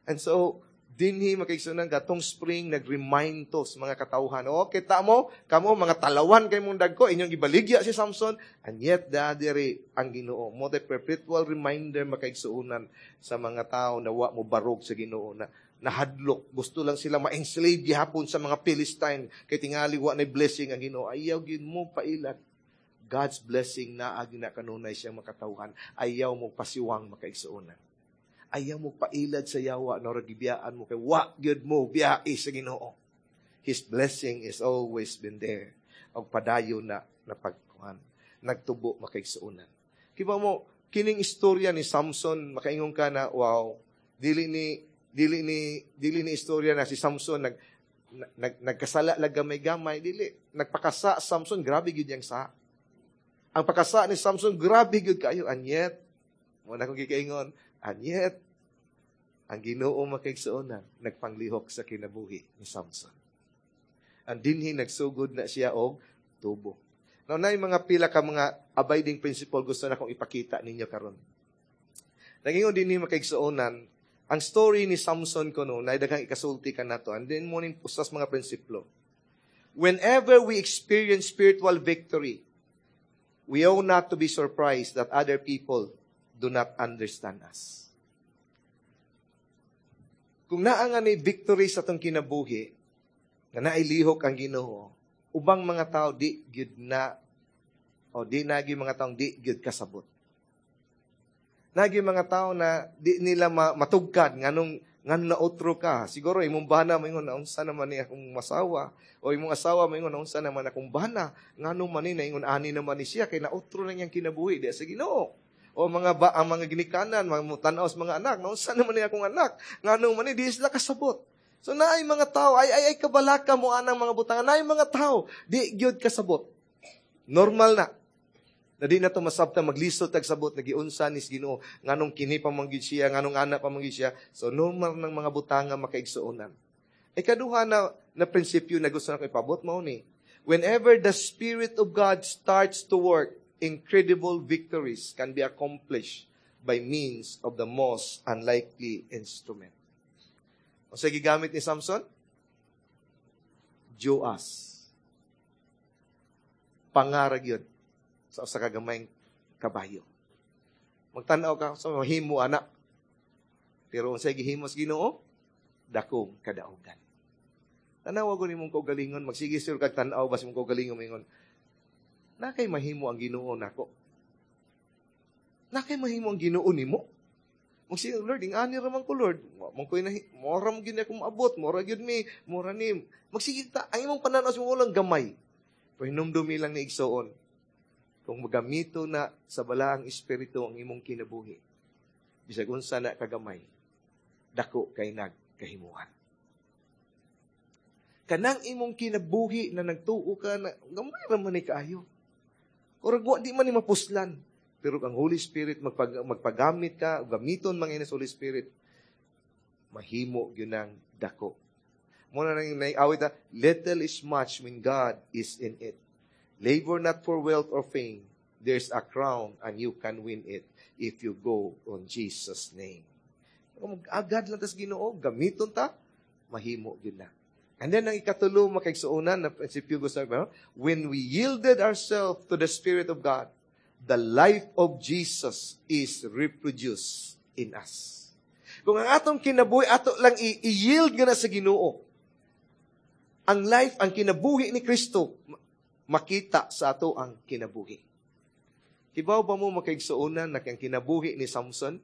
And so, dinhi, makaigsunan, katong spring nag-remind to sa mga katawhan. O, kita mo, kamo, mga talawan kay mong dagko, inyong gibaligya si Samson, and yet, diri ang Ginoo. Mo perpetual reminder, makaigsuunan, sa mga tao na wa mo barog sa Ginoo na nahadlok. Gusto lang sila ma-enslave gihapon sa mga Philistine kay tingali wa na blessing ang Ginoo. Ayaw gyud mo pailat. God's blessing naa gyud na kanunay siyang makatawhan. Ayaw mo pasiwang, makaigsuonan. Ayaw mo pailad sa yawa na gibiyaan mo kay wa gyud mo biyae sa Ginoo. His blessing is always been there. Og padayon na napagkuhan. Nagtubo, makaigsuonan. Kiba mo, kining istorya ni Samson, makaingon ka na, wow, dili ni Dili ni istorya na si Samson nag nagkasala lang gamay-gamay, dili. Nagpakasa Samson, grabe gyud yang sa. Ang pakasa ni Samson, grabe gyud kayo. And yet, mao na akong gikaingon, and yet, ang Ginoo, makaigsuonan, nagpanglihok sa kinabuhi ni Samson. Ang dinhi nagsugod na siya og tubo. Now, na mga pila ka mga abiding principle gusto na kong ipakita ninyo karon. Nagingon dinhi, makaigsuonan, ang story ni Samson kuno na daghang ikasulti ka nato. And then mo ning usas mga prinsiplo. Whenever we experience spiritual victory, we ought not to be surprised that other people do not understand us. Kung naa nga ni victory sa atong kinabuhi, nga nailihok ang Ginoo, ubang mga tao di gyud na o di nagi mga taong di gyud kasabot. Nagi mga tao na di nila matugkad nganong naotro ka. Siguro imong bana moingon, "Unsa naman ni akong masawa?" O imong asawa moingon, "Unsa naman akong bana? Nganong man ni naingon ani naman ni siya kay naotro na niyang kinabuhi di sa Ginoo?" O mga ba, ang mga ginikanan, mga tan-aw sa mga anak, "Unsa naman ni akong anak? Nganong man ni di sila kasabot?" So naay mga tao ay kabalaka mo anang mga butangan, naay mga tao di gyud kasabot. Normal na. Na di na to masabta, maglisod tag sabot na giunsa ni Ginoo, nganong kini pa man gyud siya, nganong ana pa man gyud siya. So normal ng mga butanga, makaigsuonan. Ikaduha na prinsipyo na gusto nako ipabot mao ni: whenever the Spirit of God starts to work, incredible victories can be accomplished by means of the most unlikely instrument. Unsa gigamit ni Samson? Joas. Pangarag yun sa usa ka gamayng kabayo. Magtan-aw ka sa mahimo ana. Pero unsay gihimo sa Ginoo? Dakong kadaugan. Tanawa ko nimong kaugalingon, magsige sir kag tan-aw bas imong kaugalingon, moingon, "Na kay mahimo ang Ginoo nako. Na kay mahimo ang Ginoo nimo." Magsige, "Lord, ing ani ra man ko, Lord. Mo koy na mora mo gyud ako maabot, mora gyud mi, mora ni." Magsige ta, ang imong pananaw sa imong lang gamay. Pero hinumdumi lang ni, igsoon, kung magamito na sa Balaang Espiritu ang imong kinabuhi, bisag unsa na kagamay, dako kay nagkahimuan. Kanang imong kinabuhi na nagtuo ka na gamay ra man ni kaayo. Kurag wa di man ni mapuslan. Pero ang Holy Spirit magpagamit ka, gamiton man ini sa Holy Spirit, mahimo gyud ang dako. Mao na nang naay-awit na, "Little is much when God is in it. Labor not for wealth or fame. There's a crown and you can win it if you go on Jesus' name." Agad lang tas Ginoo, gamiton ta, mahimo gyud na. And then ang ikatulo, makaigsuonan, na prinsipyo gusto, when we yielded ourselves to the Spirit of God, the life of Jesus is reproduced in us. Kung ang atong kinabuhi, ato lang i-yield nga na sa Ginoo. Ang life, ang kinabuhi ni Kristo, makita sa ato ang kinabuhi. Kibaw ba mo, makaigsuonan, na ang kinabuhi ni Samson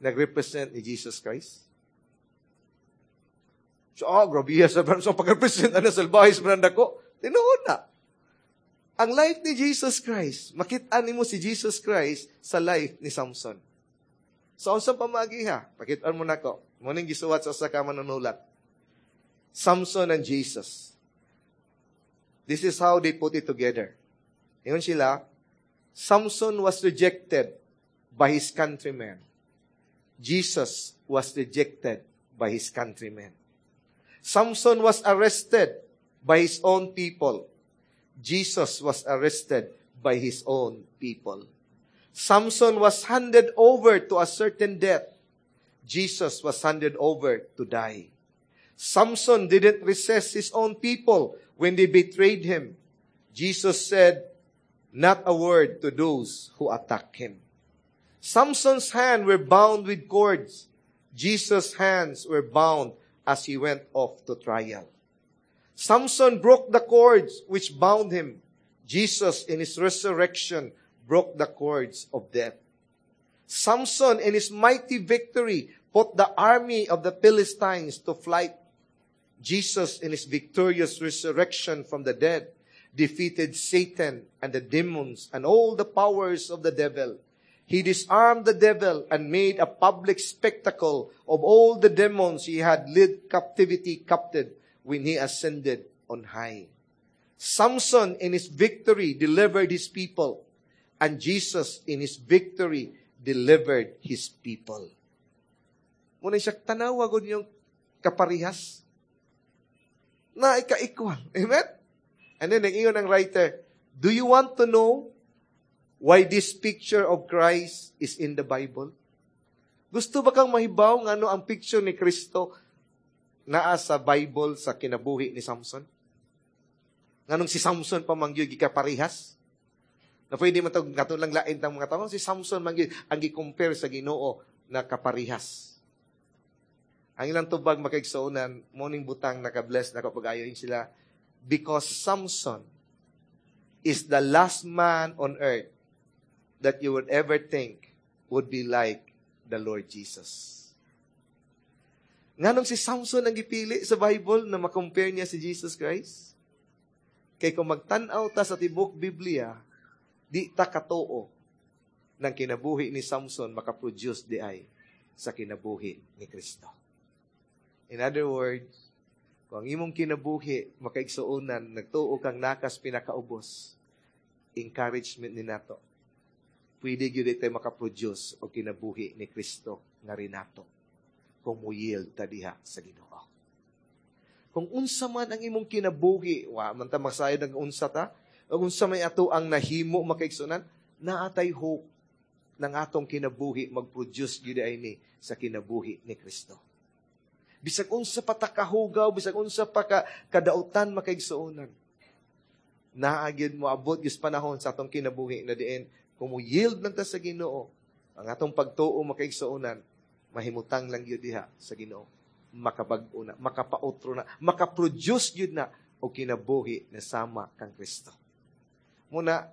nag-represent ni Jesus Christ? So, oh, grabe sa so pag-represent ana sa salbahe sa dako. Tinuod na. Ang life ni Jesus Christ, makita nimo si Jesus Christ sa life ni Samson. Sa unsang pamagi ha? Pakitaan mo nako. Mao ning gisuwat sa usa ka manunulat. Samson and Jesus. This is how they put it together. Ingon sila, Samson was rejected by his countrymen. Jesus was rejected by his countrymen. Samson was arrested by his own people. Jesus was arrested by his own people. Samson was handed over to a certain death. Jesus was handed over to die. Samson didn't resist his own people when they betrayed him. Jesus said not a word to those who attacked him. Samson's hands were bound with cords. Jesus' hands were bound as he went off to trial. Samson broke the cords which bound him. Jesus, in his resurrection, broke the cords of death. Samson, in his mighty victory, put the army of the Philistines to flight. Jesus, in his victorious resurrection from the dead, defeated Satan and the demons and all the powers of the devil. He disarmed the devil and made a public spectacle of all the demons he had led captivity captive when he ascended on high. Samson in his victory delivered his people, and Jesus in his victory delivered his people. Muna siya, tanawa gud yung kaparihas. Na ika-equal. Amen? And then, nag-ingon ang writer, "Do you want to know why this picture of Christ is in the Bible?" Gusto ba kang mahibaw nga ano ang picture ni Kristo naa sa Bible sa kinabuhi ni Samson? Nganong si Samson pa man gyud gikaparihas? Na pwede man tog kato lang lain tang mga tao, si Samson man gyud ang gi-compare sa Ginoo na kaparihas. Ang ilang tubag, makaigsuonan, morning butang naka-bless na kapag ayoin sila because Samson is the last man on earth that you would ever think would be like the Lord Jesus. Nganong si Samson ang gipili sa Bible na makompare niya si Jesus Christ? Kay kung magtan-aw ta sa tibok Biblia, di ta katuo ng kinabuhi ni Samson makaproduce di ay sa kinabuhi ni Kristo. In other words, kung ang imong kinabuhi makaigsuonan, nagtuo kang nakas pinakaubos, encouragement ni nato. Pwede gyud tayo makaproduce og kinabuhi ni Kristo nga rinato kung mo-yield ta diha sa Ginoo. Kung unsa man ang imong kinabuhi, wa man ta masayod ang unsa ta, ug unsa may ato ang nahimo, makaigsuonan, naatay hope ng atong kinabuhi mag-produce gyud ay ni sa kinabuhi ni Kristo. Bisag unsa pa ta kahugaw, bisag unsa pa ka kadautan, makaigsuonan, naa gyud mo abot gyud panahon sa atong kinabuhi na diin kung mo yield lang ta sa Ginoo, ang atong pagtuo, makaigsuonan, mahimutang lang gyud diha sa Ginoo. Makabag-o na, makapautro na, makaproduce gyud na og kinabuhi na sama kang Kristo. Muna,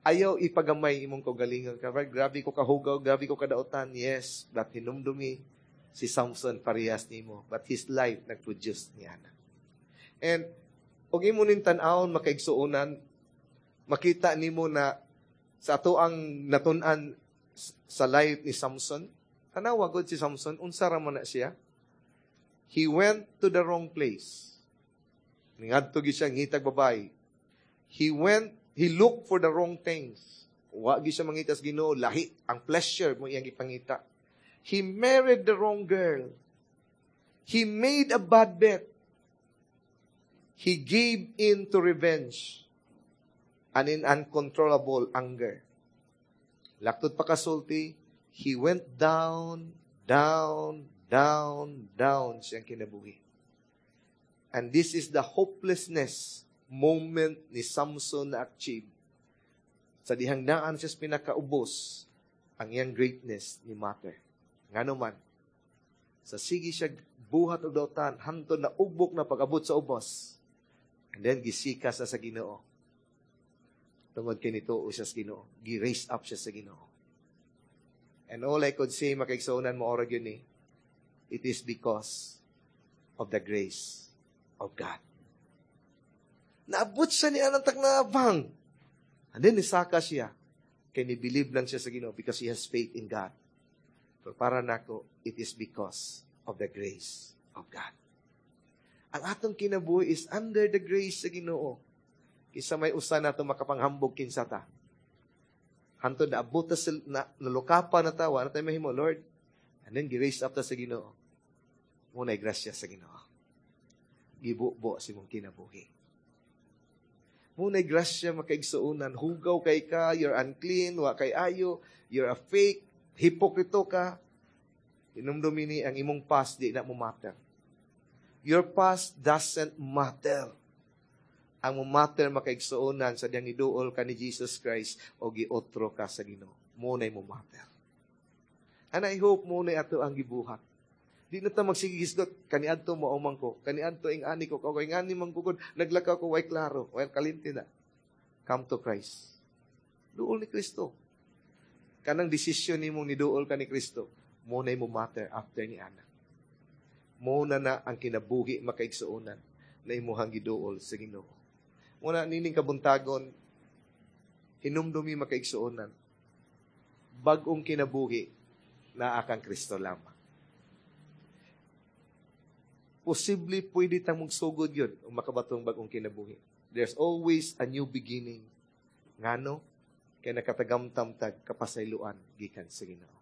ayaw ipagamay imong kaugalingon. Kapag grabe ko kahugaw, grabe ko kadautan, yes, but hinumdumi si Samson parehas nimo, but his life nag-produce niya na. And og imo ning tan-awon, makaigsuonan, makita nimo na sa ato ang natun-an sa life ni Samson, tanawa gud si Samson, unsa ra man na siya? He went to the wrong place. Ningadto gyud siya ngitag babae. He looked for the wrong things. Wa gyud siya mangita sa Ginoo, lahi ang pleasure mo iyang gipangita. He married the wrong girl. He made a bad bet. He gave in to revenge and in uncontrollable anger. Laktod pa kasulti, he went down, down, down, down siyang kinabuhi. And this is the hopelessness moment ni Samson na achieve. Sa dihang naan siya sa pinakaubos, ang iyang greatness ni matter. Ngano man, sa sige siya buhat og dautan, hantod na ugbok na pag-abot sa ubos. And then gisika sa Ginoo. Tungod kay nito siya sa Ginoo. Gi-raise up siya sa Ginoo. And all I could say, makaigsuonan mo ora yun eh, it is because of the grace of God. Naabot siya ni anang taknabang. And then nisaka siya. Kay ni-believe lang siya sa Ginoo because he has faith in God. Pero para nako, it is because of the grace of God. Ang atong kinabuhi is under the grace sa Ginoo. Kinsa may usa nato makapanghambog kinsa ta. Hantod na abot ta sa na, nalukapa na ta, wala tayo mahimo, Lord. And then gi-raise up ta sa Ginoo. Muna'y grasya sa Ginoo. Gibubo sa imong kinabuhi. Muna'y grasya, makaigsuonan. Hugaw kay ka, you're unclean, wa kay ayo, you're a fake, hipokrito ka. Hinumdumi ni ang imong past di na mo matter. Your past doesn't matter. Ang mo matter, makaigsuonan, sa diyang iduol ka ni Jesus Christ o giotro ka sa Ginoo. Muna'y mo matter. And I hope muna'y ato ang gibuhat. Di na ta magsigisgot, kaniadto mo man ko, kaniadto ing ani ko, kung ing ani man ko, naglakaw ko, way klaro, way kalinti na. Come to Christ. Duol ni Kristo. Kanang desisyon nimong niduol ka ni Kristo, muna'y mo matter after ni ana. Muna na ang kinabuhi, makaigsuonan, na imuhang giduol sa Ginoo. Muna nining kabuntagon, hinumdumi, makaigsuonan. Bag-ong kinabuhi naa kang Kristo lamang. Posible pwede tang magsugod yun kung makabatong bag-ong kinabuhi. There's always a new beginning. Ngano? Kay nakatagamtam tag kapasayloan gikan sa Ginoo.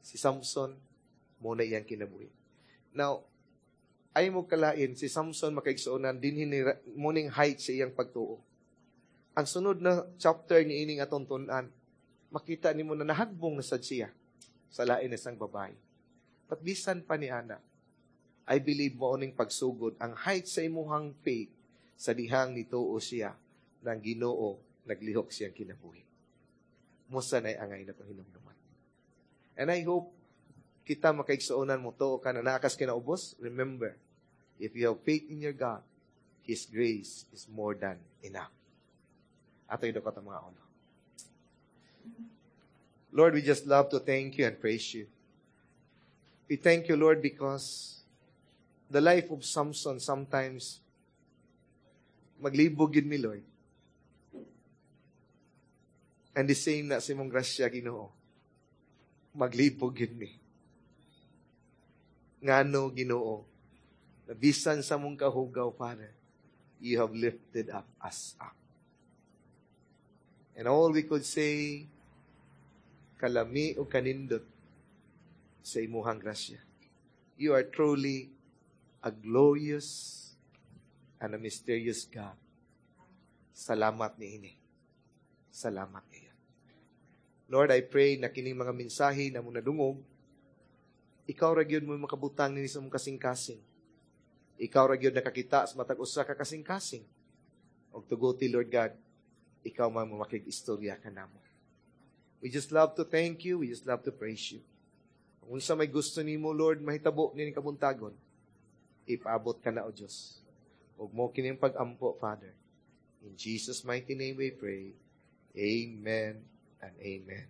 Si Samson, mao na iyang kinabuhi. Now, ayaw mo kalain, si Samson, makaigsuonan, dinhi mao ning height sa iyang pagtuo. Ang sunod na chapter ni ining atong tun-an, makita nimo na nahagbong na sad siya sa lain na isang babae. But bisan pa ni ana, I believe mao ning pagsugod, ang height sa imuhang faith, sa dihang nituo siya ng Ginoo, naglihok siyang kinabuhi. Mao sa nay angay na itong hinumduman. And I hope kita, makaigsuonan, mo tuo ka na naa kas kinaubos. Remember, if you have faith in your God, His grace is more than enough. Ato idukot ang mga ulo. Lord, we just love to thank you and praise you. We thank you, Lord, because the life of Samson, sometimes maglibog yun mi, Lord. And the same na sa imong grasya, Ginoo. Maglibog yun mi. Ngano, Ginoo, na bisan sa mong kahugaw, Father, you have lifted up us up. And all we could say, kalami o kanindot sa imuhang grasya. You are truly a glorious and a mysterious God. Salamat niini. Salamat niya. Lord, I pray na kining mga mensahe na mo nadungog, ikaw ra gyud mo makabutang nini sa mong kasing-kasing. Ikaw ra gyud nakakita sa matag usa ka kasing-kasing. Og tuguti, Lord God, ikaw man mo makig-istorya kanamo. We just love to thank you. We just love to praise you. Kung unsa may gusto nimo, Lord, mahitabo nining kabuntagon, ipaabot ka na, O Diyos. Ug mao kining pag-ampo, Father. In Jesus' mighty name we pray. Amen and amen.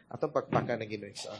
Atong pakpakan ang Ginoo sa